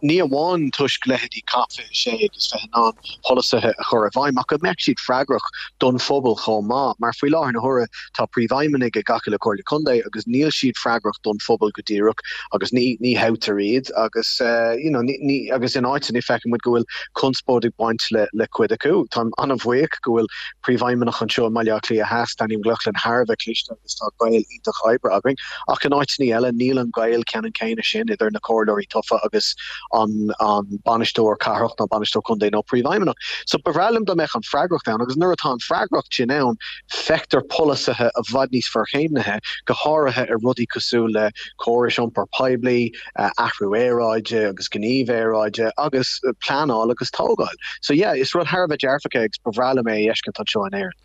Ní amháin toisc leithéidí Cop 26 agus bheith in ann polasaithe a chur i bhfeidhm, ach go mbeadh siad freagrach don phobal chomh maith, mar faoi láthair na huaire tá príomhfheidhmeannaigh ag gach uile Chomhairle Contae agus níl siad freagrach don phobal go díreach agus ní ní thoghtar iad agus you know ní ní agus in áiteanna feiceann muid go bhfuil conspóid ag baint le le cuid acu. Táim an-bhuíoch go bhfuil Príomhfheidhmeannach anseo i mBaile Átha Cliath Theas, Danny McLaughlin, thar a bheith cliste agus tá gaol iontach oibre againn. Ach in áiteanna eile níl an gaol ceannann céanna sin idir na comhairleoirí tofa agus an bainisteoir cathrach nó bainisteoir contae nó príomhfheidhmeannach. So ba bhreá liom dá mbeadh an freagracht ann agus nuair atá an freagracht sin ann feictear polasaithe i bhfad níos forchéimnithe, go háirithe ar rudaí cosúil le córais iompair poiblí, athrú aeráide agus gníomh aeráide agus pleanáil agus tógáil. So yeah, is rud thar a bheith dearfach é agus ba bhreá liom é a fheiscint anseo in Éirinn.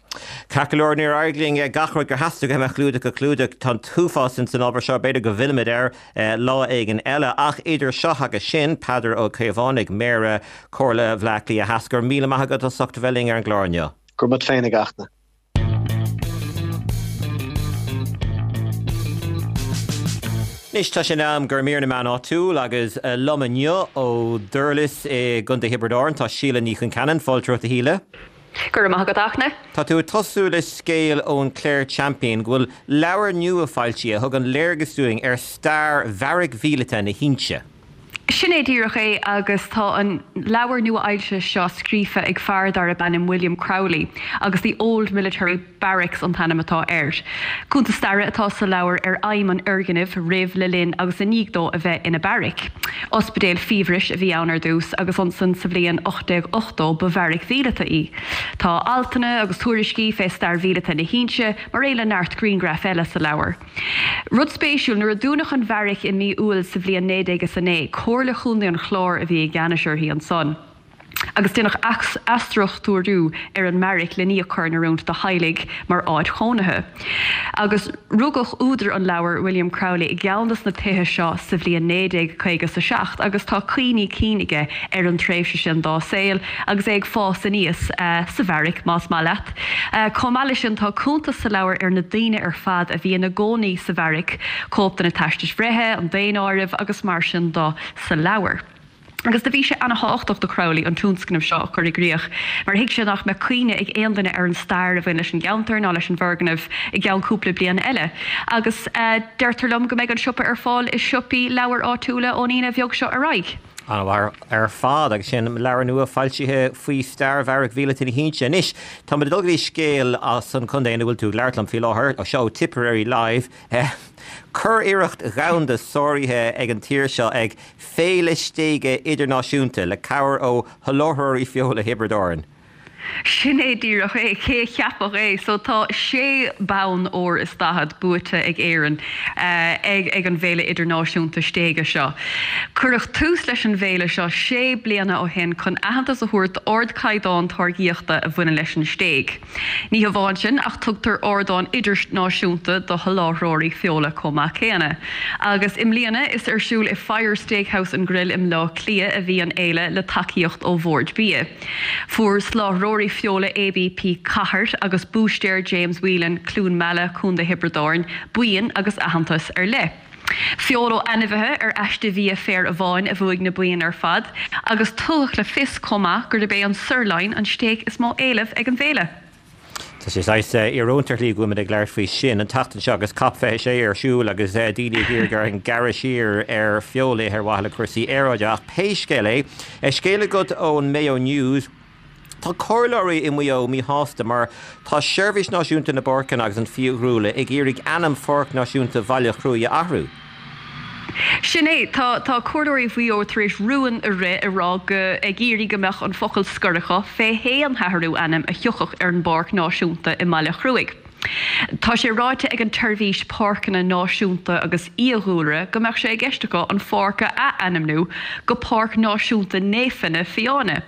Ceart go leor, níor éirigh linn gach rud gur theastaigh uaim a chlúdach a chlúdach. Tá an t-uafás ins an ábhar seo, b'fhéidir go bhfillfimid air lá éigin eile. Ach idir seo agus sin, Peadar Ó Caomhánaigh, Méara Chomhairle Bhaile Átha Cliath Theas, go raibh míle maith agat as ucht a bheith linn ar an gclár inniu. Go raibh maith agat féin a Fhachtna. Anois tá sé in am do mhír na meán áitiúil agus liom inniu ó Dhurlas i gContae Thiobraid Árann tá Síle Ní Chonceanainn. Fáilte romhat a Shíle. Go raibh maith agat a Fhachtna. Tá tú ag tosú le scéal ón Clare Champion go bhfuil leabhar nua foilsithe a thugann léargas dúinn ar stair bheairic mhíleata na hInse. Sin é díreach é agus tá an leabhar nua-fhoilsithe seo scríofa ag fear darb ainm William Crowley agus The Old Military Barracks an t-ainm atá air. Cuntas staire atá sa leabhar ar fheidhm an fhoirgnimh roimh, le linn agus i ndiaidh dó a bheith ina beairic. Ospidéal fiabhrais a bhí ann ar dtús agus ansan sa bhliain 1880 ba bheairic mhíleata í. Tá altanna agus tuairiscí fé stair mhíleata na hInse mar aon le neart grianghraif eile sa leabhar. Rud spéisiúil, nuair a dúnadh an bheairic i mí Iúil sa bhliain 1909, Comhairle Chontae an Chláir a bhí i gceannais uirthi ansan. Agus déanadh athstruchtúrú ar an mbeairic len í a chur in oiriúint do theaghlaigh mar áit chónaithe. Agus rugadh údar an leabhair, William Crowley, i gceann de na tithe seo sa bhliain 1957 agus tá cuimhní cinn aige ar an tréimhse sin dá saol agus é ag fás aníos sa bheairic, más maith leat. Chomh maith leis sin, tá cuntas sa leabhar ar na daoine ar fad a bhí ina gcónaí sa bheairic, cóip de na teastais bhreithe, an daonáireamh agus mar sin de sa leabhar. Agus do bhí sé ana-thábhachtach do Crowley an tionscnamh seo a chur i gcrích, mar thuig sé nach mbeadh cuimhne ag aon duine ar an stair a bhain leis an gceantar ná leis an bhfoirgneamh i gceann cúpla bliain eile. Agus deirtear liom go mbeidh an siopa ar fáil i siopaí leabhar áitiúla ón Aoine bheag seo ar aghaidh. An-mhaith ar fad, agus sin leabhar nua foilsithe faoi stair Bheairic Mhíleata na hInse. Anois, táimid ag dul go dtí scéal as an chontae ina bhfuil tú ag labhairt liom faoi láthair, seo ó Tipperary Live. Curiarracht dhomhanda sáraithe ag an tír seo ag Féile Stéige Idirnáisiúnta le cabhair ó sholáthróirí feola Thiobraid Árann. Sin é díreach é, cé a cheapfadh é? So tá sé bonn óir is 40 buaite ag Éirinn ag ag an bhFéile Idirnáisiúnta Stéige seo. Cuireadh tús leis an bhféile seo sé bliana ó shin chun aitheantas a thabhairt d'ardchaighdeán táirgíochta a bhaineann leis an stéig. Ní hamháin sin, ach tugtar ardán idirnáisiúnta do sholáthróirí feola chomh maith céanna. Agus i mbliana, is ar siúl i Fire Steakhouse and Grill i mBleá Cliath a bhí an fhéile le tacaíocht ó Bhord Bia. Fuair soláthróirí feola ABP Cathair agus Búistéir James Whelan, Cluain Meala, Co. Thiobraid Árann, boinn agus aitheantas ar leith. Feoil ó ainmhithe ar aiste bhia féir amháin a bhuaigh na boinn ar fad, agus tugadh le fios chomh maith gurb é an sirloin an stéig is mó éileamh ag an bhféile. Tá sé saghas íorónta ar shlí go bhfuilimid ag labhairt faoi sin an tseachtain seo agus Cop 26 ar siúl agus daoine ag iarraidh orainn gearradh siar ar feoil a ithe ar mhaithe le cúrsaí aeráide. Ach pé scéal é, scéal agat ón Mayo News. Tá comhairleoirí i Maigh Eo míshásta mar tá Seirbhís Náisiúnta na bPáirceanna agus an Fiadhúlra ag iarraidh ainm Pháirc Náisiúnta Bhaile Chruaich a athrú. Sin é, tá tá comhairleoirí Mhaigh Eo tar éis rún a rith ag rá go ag iarraidh go mbeadh an focal scoir acu fé haon athrú ainm a thiocfadh ar an bPáirc Náisiúnta i mBaile Chruaich. Tá sé ráite ag an tSeirbhís Páirceanna Náisiúnta agus Fhiadhúlra go mbeadh sé i gceist acu an pháirc a ath-ainmniú go Páirc Náisiúnta Néifinne Fiáine.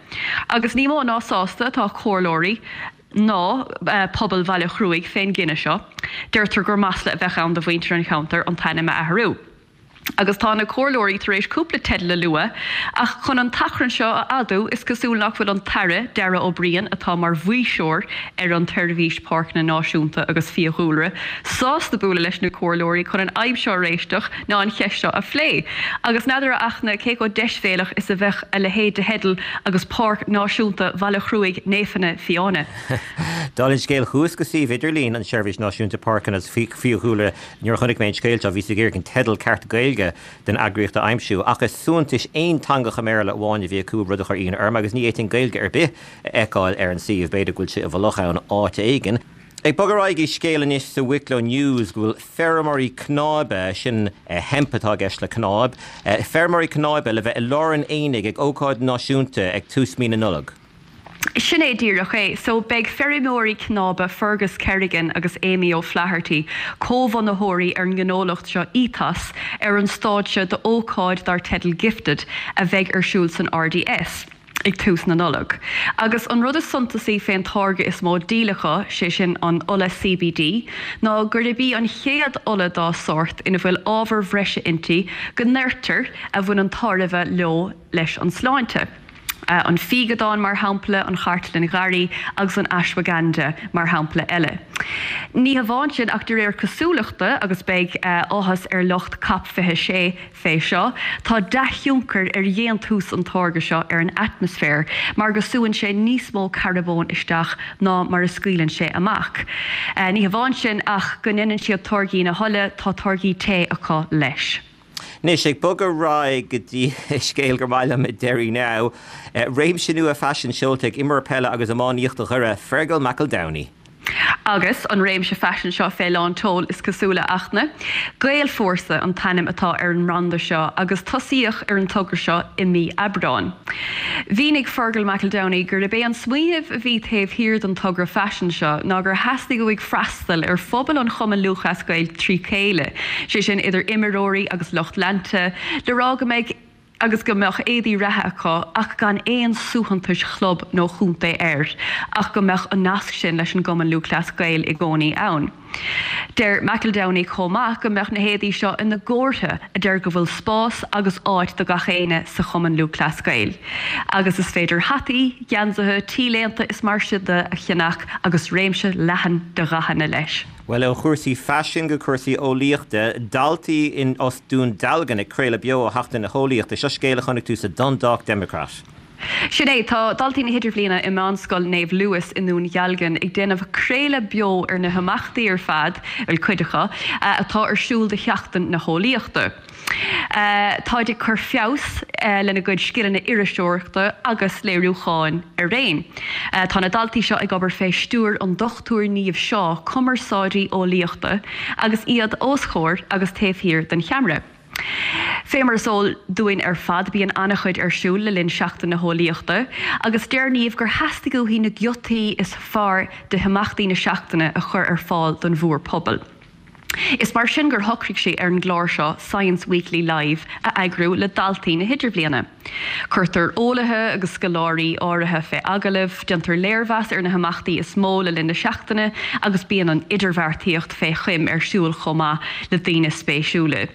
Agus ní mó ná sásta atá comhairleoirí ná pobal Bhaile Chruaich fén gcinneadh seo. Deirtear gur masla a bheadh ann do mhuintir an cheantair an t-ainm a athrú. Agus tá na comhairleoirí tar éis cúpla teideal a lua, ach chun an t-achrann seo a fhadú, is cosúil nach bhfuil an tAire, Darragh O'Brien, atá mar mhaoirseoir ar an tSeirbhís Páirceanna Náisiúnta agus Fiadhúlra, sásta bualadh leis na comhairleoirí chun an fhadhb seo a réiteach ná an cheist seo a phlé. Agus n'fheadar, a Fhachtna, cé chomh deisbhéalach is a bheadh a leithéid de theideal agus Páirc Náisiúnta Bhaile Chruaich Néifinne Fiáine. Dála an scéil, chuas go suíomh idirlín an Seirbhís Náisiúnta Páirceanna agus Fiadhúlra Nuair a chonaic mé an scéal seo, bhíos ag iarraidh an teideal ceart Gaeilge den eagraíocht a aimsiú, ach is suaitheantais aonteangach i mBéarla amháin a bhí acu, rud a chuir ionadh orm, agus ní fhéadfainn Gaeilge ar bith a fheiceáil ar an suíomh, b'fhéidir go bhfuil sé i bhfolach ann áit éigin. Ag bogadh ar aghaidh go scéal anois sa Wicklow News go bhfuil feirmeoirí cnáibe, sin hemp atá i gceist le cnáib, feirmeoirí cnáibe le bheith i lár an aonaigh ag ócáid náisiúnta ag tús mí na Nollag. Sin é díreach é. So, beidh feirmeoirí cnáibe Fergus Kerrigan agus Amy O'Flaherty, comhbhunaitheoirí ar an ngnólacht seo Ethos, ar an stáitse d'ócáid dar teideal Gifted a bheidh ar siúl san RDS ag tús na Nollag. Agus an rud is suntasaí fén táirge is mó díol acu, sé sin an ola CBD, ná gurb í an chéad ola dá sórt ina bhfuil ábhair bhreise inti go ndeirtear a bhaineann tairbhe leo leis an sláinte. An fíogadán, mar shampla, an chartlann gharraí agus an ashwagandha, mar shampla eile. Ní hamháin sin, ach de réir cosúlachta, agus beidh áthas ar lucht Cop 26 fé seo, tá dea-thionchar ar dhéantús an táirge seo ar an atmaisféar, mar go súann sé níos mó carbóin isteach ná mar a scaoileann sé amach. Ní hamháin sin, ach go ndéanann siad táirgí na hola, tá táirgí tae acu leis. Anois, ag bogadh ar aghaidh go dtí scéal gur maith liom i Derry Now, réimse nua faisin seolta ag imreoir peile agus iománaíochta Dhoire, Fergal McEldowney. Agus an réimse faisin seo fé lán tseoil, is cosúil, a Fhachtna. Gaelfhórsa an t-ainm atá ar an mbranda seo agus tosaíodh ar an togra seo i mí Aibreáin. Mhínigh Fergal McEldowney gurb é an smaoineamh a bhí taobh thiar den togra faisin seo ná gur theastaigh uaidh freastal ar phobal an Chumainn Lúthchleas Gael trí chéile, sé sin idir imreoirí agus lucht leanta, le rá go mbeidh. Agus go mbeadh éadaí reatha acu ach gan aon suaitheantais chlub nó chontae air, ach go mbeadh an nasc sin leis an gCumann Lúthchleas Gael i gcónaí ann. Deir McEldowney chomh maith go mbeadh na héadaí seo ina gcomhartha a deir go bhfuil spás agus áit do gach éinne sa Chumann Lúthchleas Gael. Agus is féidir hataí, geansaithe, t-léinte is mar sin de a cheannach agus réimse leathan de dhathanna leis. Bhuel, ó chúrsaí faisin go cúrsaí eolaíochta, daltaí in as Dún Dealgan ag craoladh beo ó Sheachtain na hEolaíochta. Seo scéal a chonaic tú sa Dundalk Democrat. Sin é, tá daltaí na hIdirbhliana i Meánscoil Naomh Louis i nDún Dhealgan ag déanamh craoladh beo ar na himeachtaí ar fad, bhuel, cuid acu, atá ar siúl do Sheachtain na hEolaíochta. Táid ag cur feabhas lena gcuid scileanna iriseoireachta agus léiriúcháin araon. Tá na daltaí seo ag obair fé stiúir an Dr Niamh Shaw, cumarsáidí eolaíochta, agus iad os chomhair agus taobh thiar den cheamara. Fé mar is eol dúinn ar fad bíonn an-chuid ar siúl le linn Seachtain na hEolaíochta agus deir Niamh gur theastaigh uaithi na giotaí is fearr de himeachtaí na seachtaine a chur ar fáil don mhórphobal. Is mar sin gur shocraigh sí ar an gclár seo Science Weekly Live a eagrú le daltaí na hIdirbhliana. Cuirtear eolaithe agus scoláirí áirithe fé agallamh, déantar léirmheas ar na himeachtaí is mó le linn na seachtaine agus bíonn an idirbheartaíocht fé choim ar siúl chomh maith le daoine spéisiúla.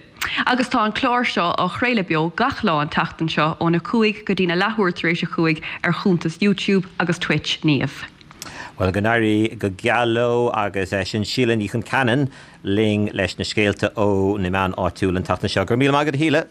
Agus tá an clár seo á chraoladh beo gach lá an tseachtain seo óna 5 go dtína leathuair tar éis a 5 ar chuntas YouTube agus Twitch Niamh. Bhuel, go n-éirí go geal leo agus sin Síle Ní Chonceanainn linn leis na scéalta ó na meáin áitiúla an tseachtain seo. Go raibh míle maith agat, a Shíle.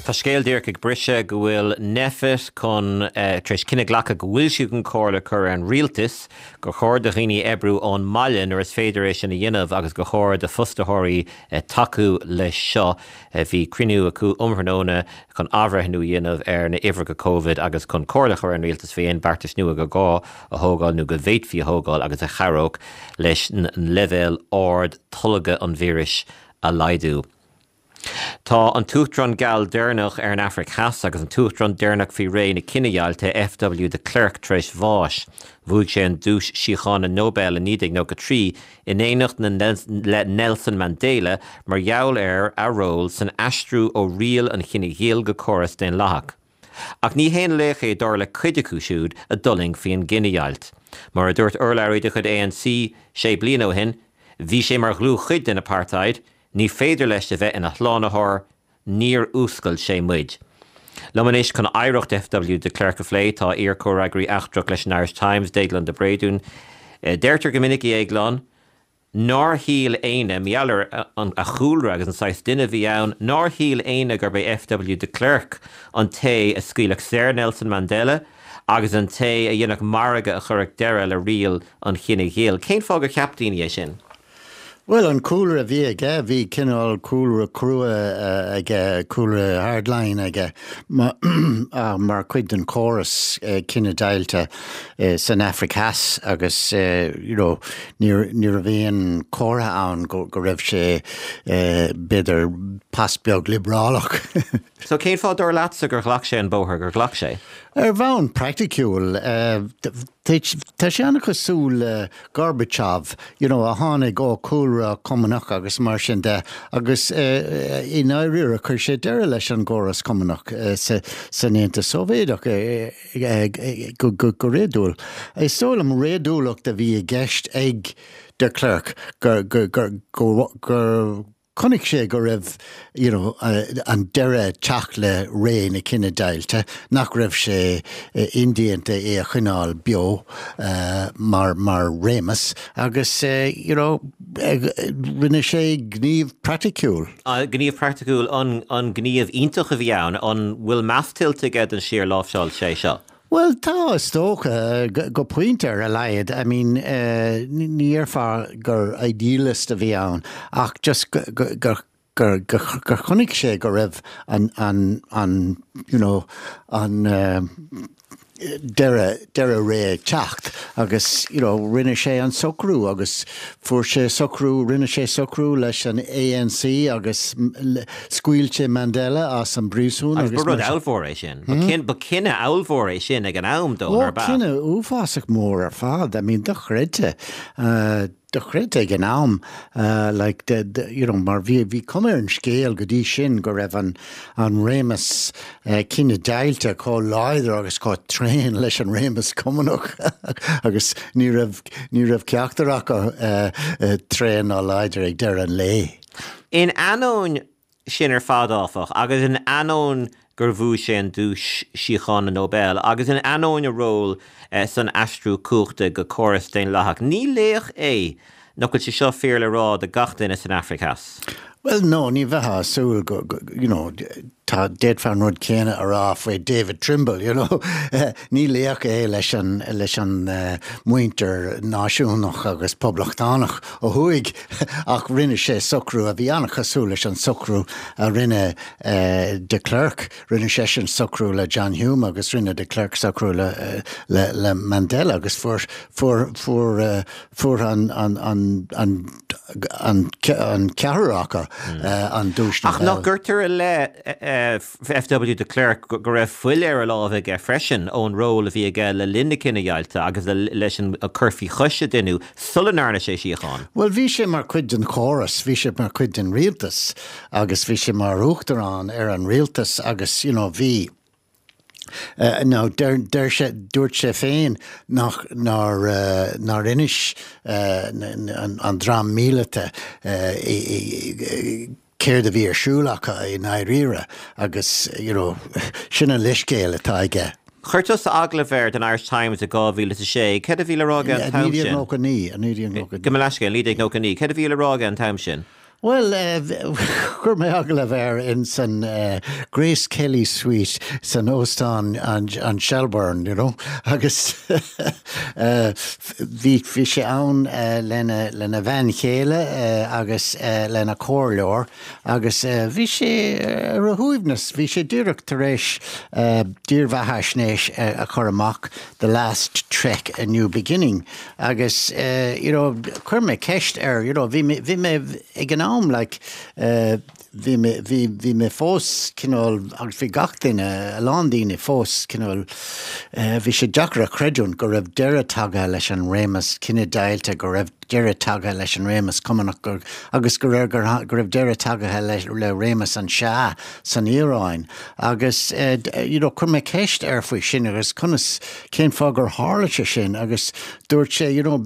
Tá scéal díreach ag briseadh go bhfuil Nphet chun, tar éis cinneadh a ghlacadh go bhfuil siad chun comhairle a chur ar an rialtas gur chóir do dhaoine oibriú ón mbaile nuair is féidir é sin a dhéanamh agus gur chóir do fostaitheoirí tacú leis seo. Bhí cruinniú acu um thráthnóna chun athbhreithniú a dhéanamh ar na huimhreacha Covid agus chun comhairle a chur ar an rialtas faoi aon beartais nua gur gá a thógáil nó go bhféadfaí a thógáil agus a chabhródh leis an leibhéal ard tolgtha an víris a laghdú. Tá an t-uachtarán geal deireanach ar an Afraic Theas agus an t-uachtarán deireanach faoi ré na cinedheighilte, FW de Klerk, tar éis bháis. Bhuaigh sé an Duais Síochána Nobel i 1993 in éineacht le Nelson Mandela mar gheall ar a ról san aistriú ó riail an chine ghil go córas daonlathach. Ach ní haon laoch é dar le cuid acu siúd a d'fhulaing faoin gcinedheighilt. Mar a dúirt urlabhraí de chuid ANC sé bliana ó shin, bhí sé mar dhlúthchuid den apartheid, ní féidir leis a bheith ina shlánaitheoir, Níor fhuascail sé muid. Liom anois chun oidhreacht FW de Klerk a phlé tá iar-chomhfhreagraí eachtrach leis an Irish Times, Déaglán de Bréadún. Deirtear go minic, a Dhéagláin, nár shíl éinne, mar gheall ar a chúlra agus an saghas duine a bhí ann, nár shíl éinne gurb é FW de Klerk an té a scaoilfeadh saor Nelson Mandela agus an té a dhéanfadh margadh a chuirfeadh deireadh le riail an chine ghil. Cén fáth gur cheap daoine é sin? Bhuel, an cúlra a bhí aige, bhí cineál cúlra crua aige, cúlra hardline aige mar chuid den chóras cinedheighilte san Afraic Theas agus you know ní raibh aon chomhartha ann go raibh sé b'fhéidir pas beag liobrálach. So cén fáth dar leatsa gur ghlac sé an bóthar gur ghlac sé? Ar bhonn praiticiúil, tá sé an-chosúil le Gorbachev, you know, a tháinig ó chúlra cumannach agus mar sin de agus i ndáiríre chuir sé deireadh leis an gcóras cumannach san Aontas Sóivéadach go réadúil. Is dóigh liom réadúlacht a bhí i gceist ag de Klerk gur gur Chonaic sé go raibh you know an deireadh ag teacht le ré na cinedheighilte, nach raibh sé indéanta é a choinneáil beo mar mar réimeas agus you know rinne sé gníomh praiticiúil. Gníomh praiticiúil, an gníomh iontach a bhí ann. An bhfuil meas tuillte aige don slí ar láimhseáil sé seo? Bhuel, tá, is dócha, go pointe ar a laghad. I mean, ní déarfá gur idealist a bhí ann ach just gur gur gur chonaic sé go raibh an an an you know an deireadh deireadh ré ag teacht agus you know rinne sé an socrú agus fuair sé socrú rinne sé socrú leis an ANC agus Scaoil sé Mandela as an bpríosún agus. Agus ba rud ollmhór é sin. Ba cinneadh ollmhór é sin ag an am dó, nár b'ea? Ó, cinneadh uafásach mór ar fad. I mean, dochreidte. dochreidte ag an am, like the, the, you know, mar bhí, bhí cuma ar an scéal go dtí sin go raibh an, an réimeas cinedheighilte chomh láidir agus chomh tréan leis an réimeas Cumannach agus ní raibh, ní raibh ceachtar acu tréan ná láidir ag deireadh an lae. In ainneoin sin ar fad, áfach, agus in ainneoin gur bhuaigh sé an Duais Síochána Nobel, agus in ainneoin a ról san aistriú cumhachta go córas daonlathach, ní laoch é nach bhfuil sé seo fíor le rá do gach duine san Afraic Theas. Bhuel, no, ní bheifeá ag súil go, you know, tá, d'fhéadfá an rud céanna a rá faoi David Trimble, you know. Ní laoch é leis an, leis an muintir náisiúnach agus poblachtánach ó thuaidh ach rinne sé socrú a bhí an-chosúil leis an socrú a rinne de Klerk. Rinne seisean socrú le John Hume agus rinne de Klerk socrú le, le, le Mandela agus fuair, fuair, fuair, fuair an, an, an, an, an, an ceathrar acu an Duais Ach nach gcuirtear i leith F.W. de Klerk go raibh fuil ar a lámha aige freisin ón ról a bhí aige le linn na cinedheighilte agus leis an cur faoi chois a deineadh sula ndearna sé síocháin? Bhuel, bhí sé mar chuid den chóras, bhí sé mar chuid den rialtas agus bhí sé mar uachtarán ar an rialtas agus you know bhí Now, deir, deir sé, dúirt sé féin nach, nár, nár inis an dream míleata céard a bhí ar siúl acu i ndáiríre agus, you know, sin an leithscéal atá aige. Chuir tusa agallamh air don Irish Times i 2006. Céard a bhí le rá aige an t-am sin? 1999, 1999. Gabh mo leithscéal, 1999. Céard a bhí le rá aige an t-am sin? Bhuel, chuir mé agallamh air in san Grace Kelly Suite san óstán an Shelbourne, you know, agus bhí bhí sé ann lena lena bhean chéile agus lena chomhairleoir agus bhí sé ar a shuaimhneas, bhí sé díreach tar éis dírbheathaisnéis a chur amach, The Last Trek, A New Beginning. Agus you know chuir mé ceist air, you know bhí mé, bhí mé ag an am like bhí mé, bhí, bhí mé fós cineál, agus bhí gach duine, a lán daoine fós cineál, bhí sé deacair a chreidiúint go raibh deireadh tagtha leis an réimeas cinedheighilte, go raibh deireadh tagtha leis an réimeas Cumannach gur, agus go raibh, go raibh deireadh tagtha le, le réimeas an Shah san Iaráin. Agus you know chuir mé ceist air faoi sin agus conas, cén fáth gur tharla sé sin agus dúirt sé you know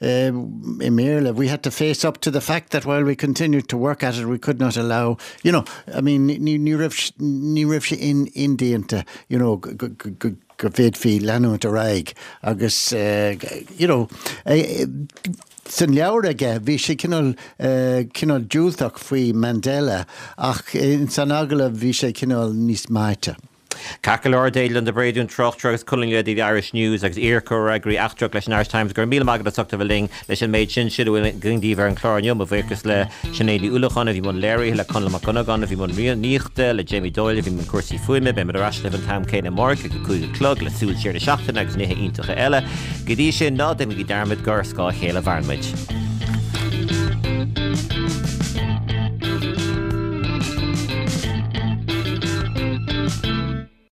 i mBéarla we had to face up to the fact that while we continued to work at it we could not allow you know I mean ní ní raibh ní raibh sé in indéanta you know go go go bhféadfaí leanúint ar aghaidh agus you know san leabhar aige bhí sé cineál cineál diúltach faoi Mandela ach ins an agallamh bhí sé cineál níos meáite. Ceart go leor, Déaglán de Bréadún, tráchtaire agus colúnaí le The Irish News agus iar-chomhfhreagraí eachtrach leis an Irish Times, go raibh míle maith agat as ucht a bheith linn leis an méid sin. Sin a bhfuil againn daoibh ar an chlár inniu. Mo bhuíochas le Sinéad Ní Uallacháin a bhí i mbun léirithe, le Conall Mac Dhonnagáin a bhí i mbun rúnaíochta, le Jamie Doyle a bhí i mbun cúrsaí fuaime. Beimid ar ais libh an t-am céanna amárach ag a 5 a chlog le súil siar na seachtaine agus nithe iontacha eile. Go dtí sin, ná déanaigí dearmad gur ar scáth a chéile a mhaireann muid.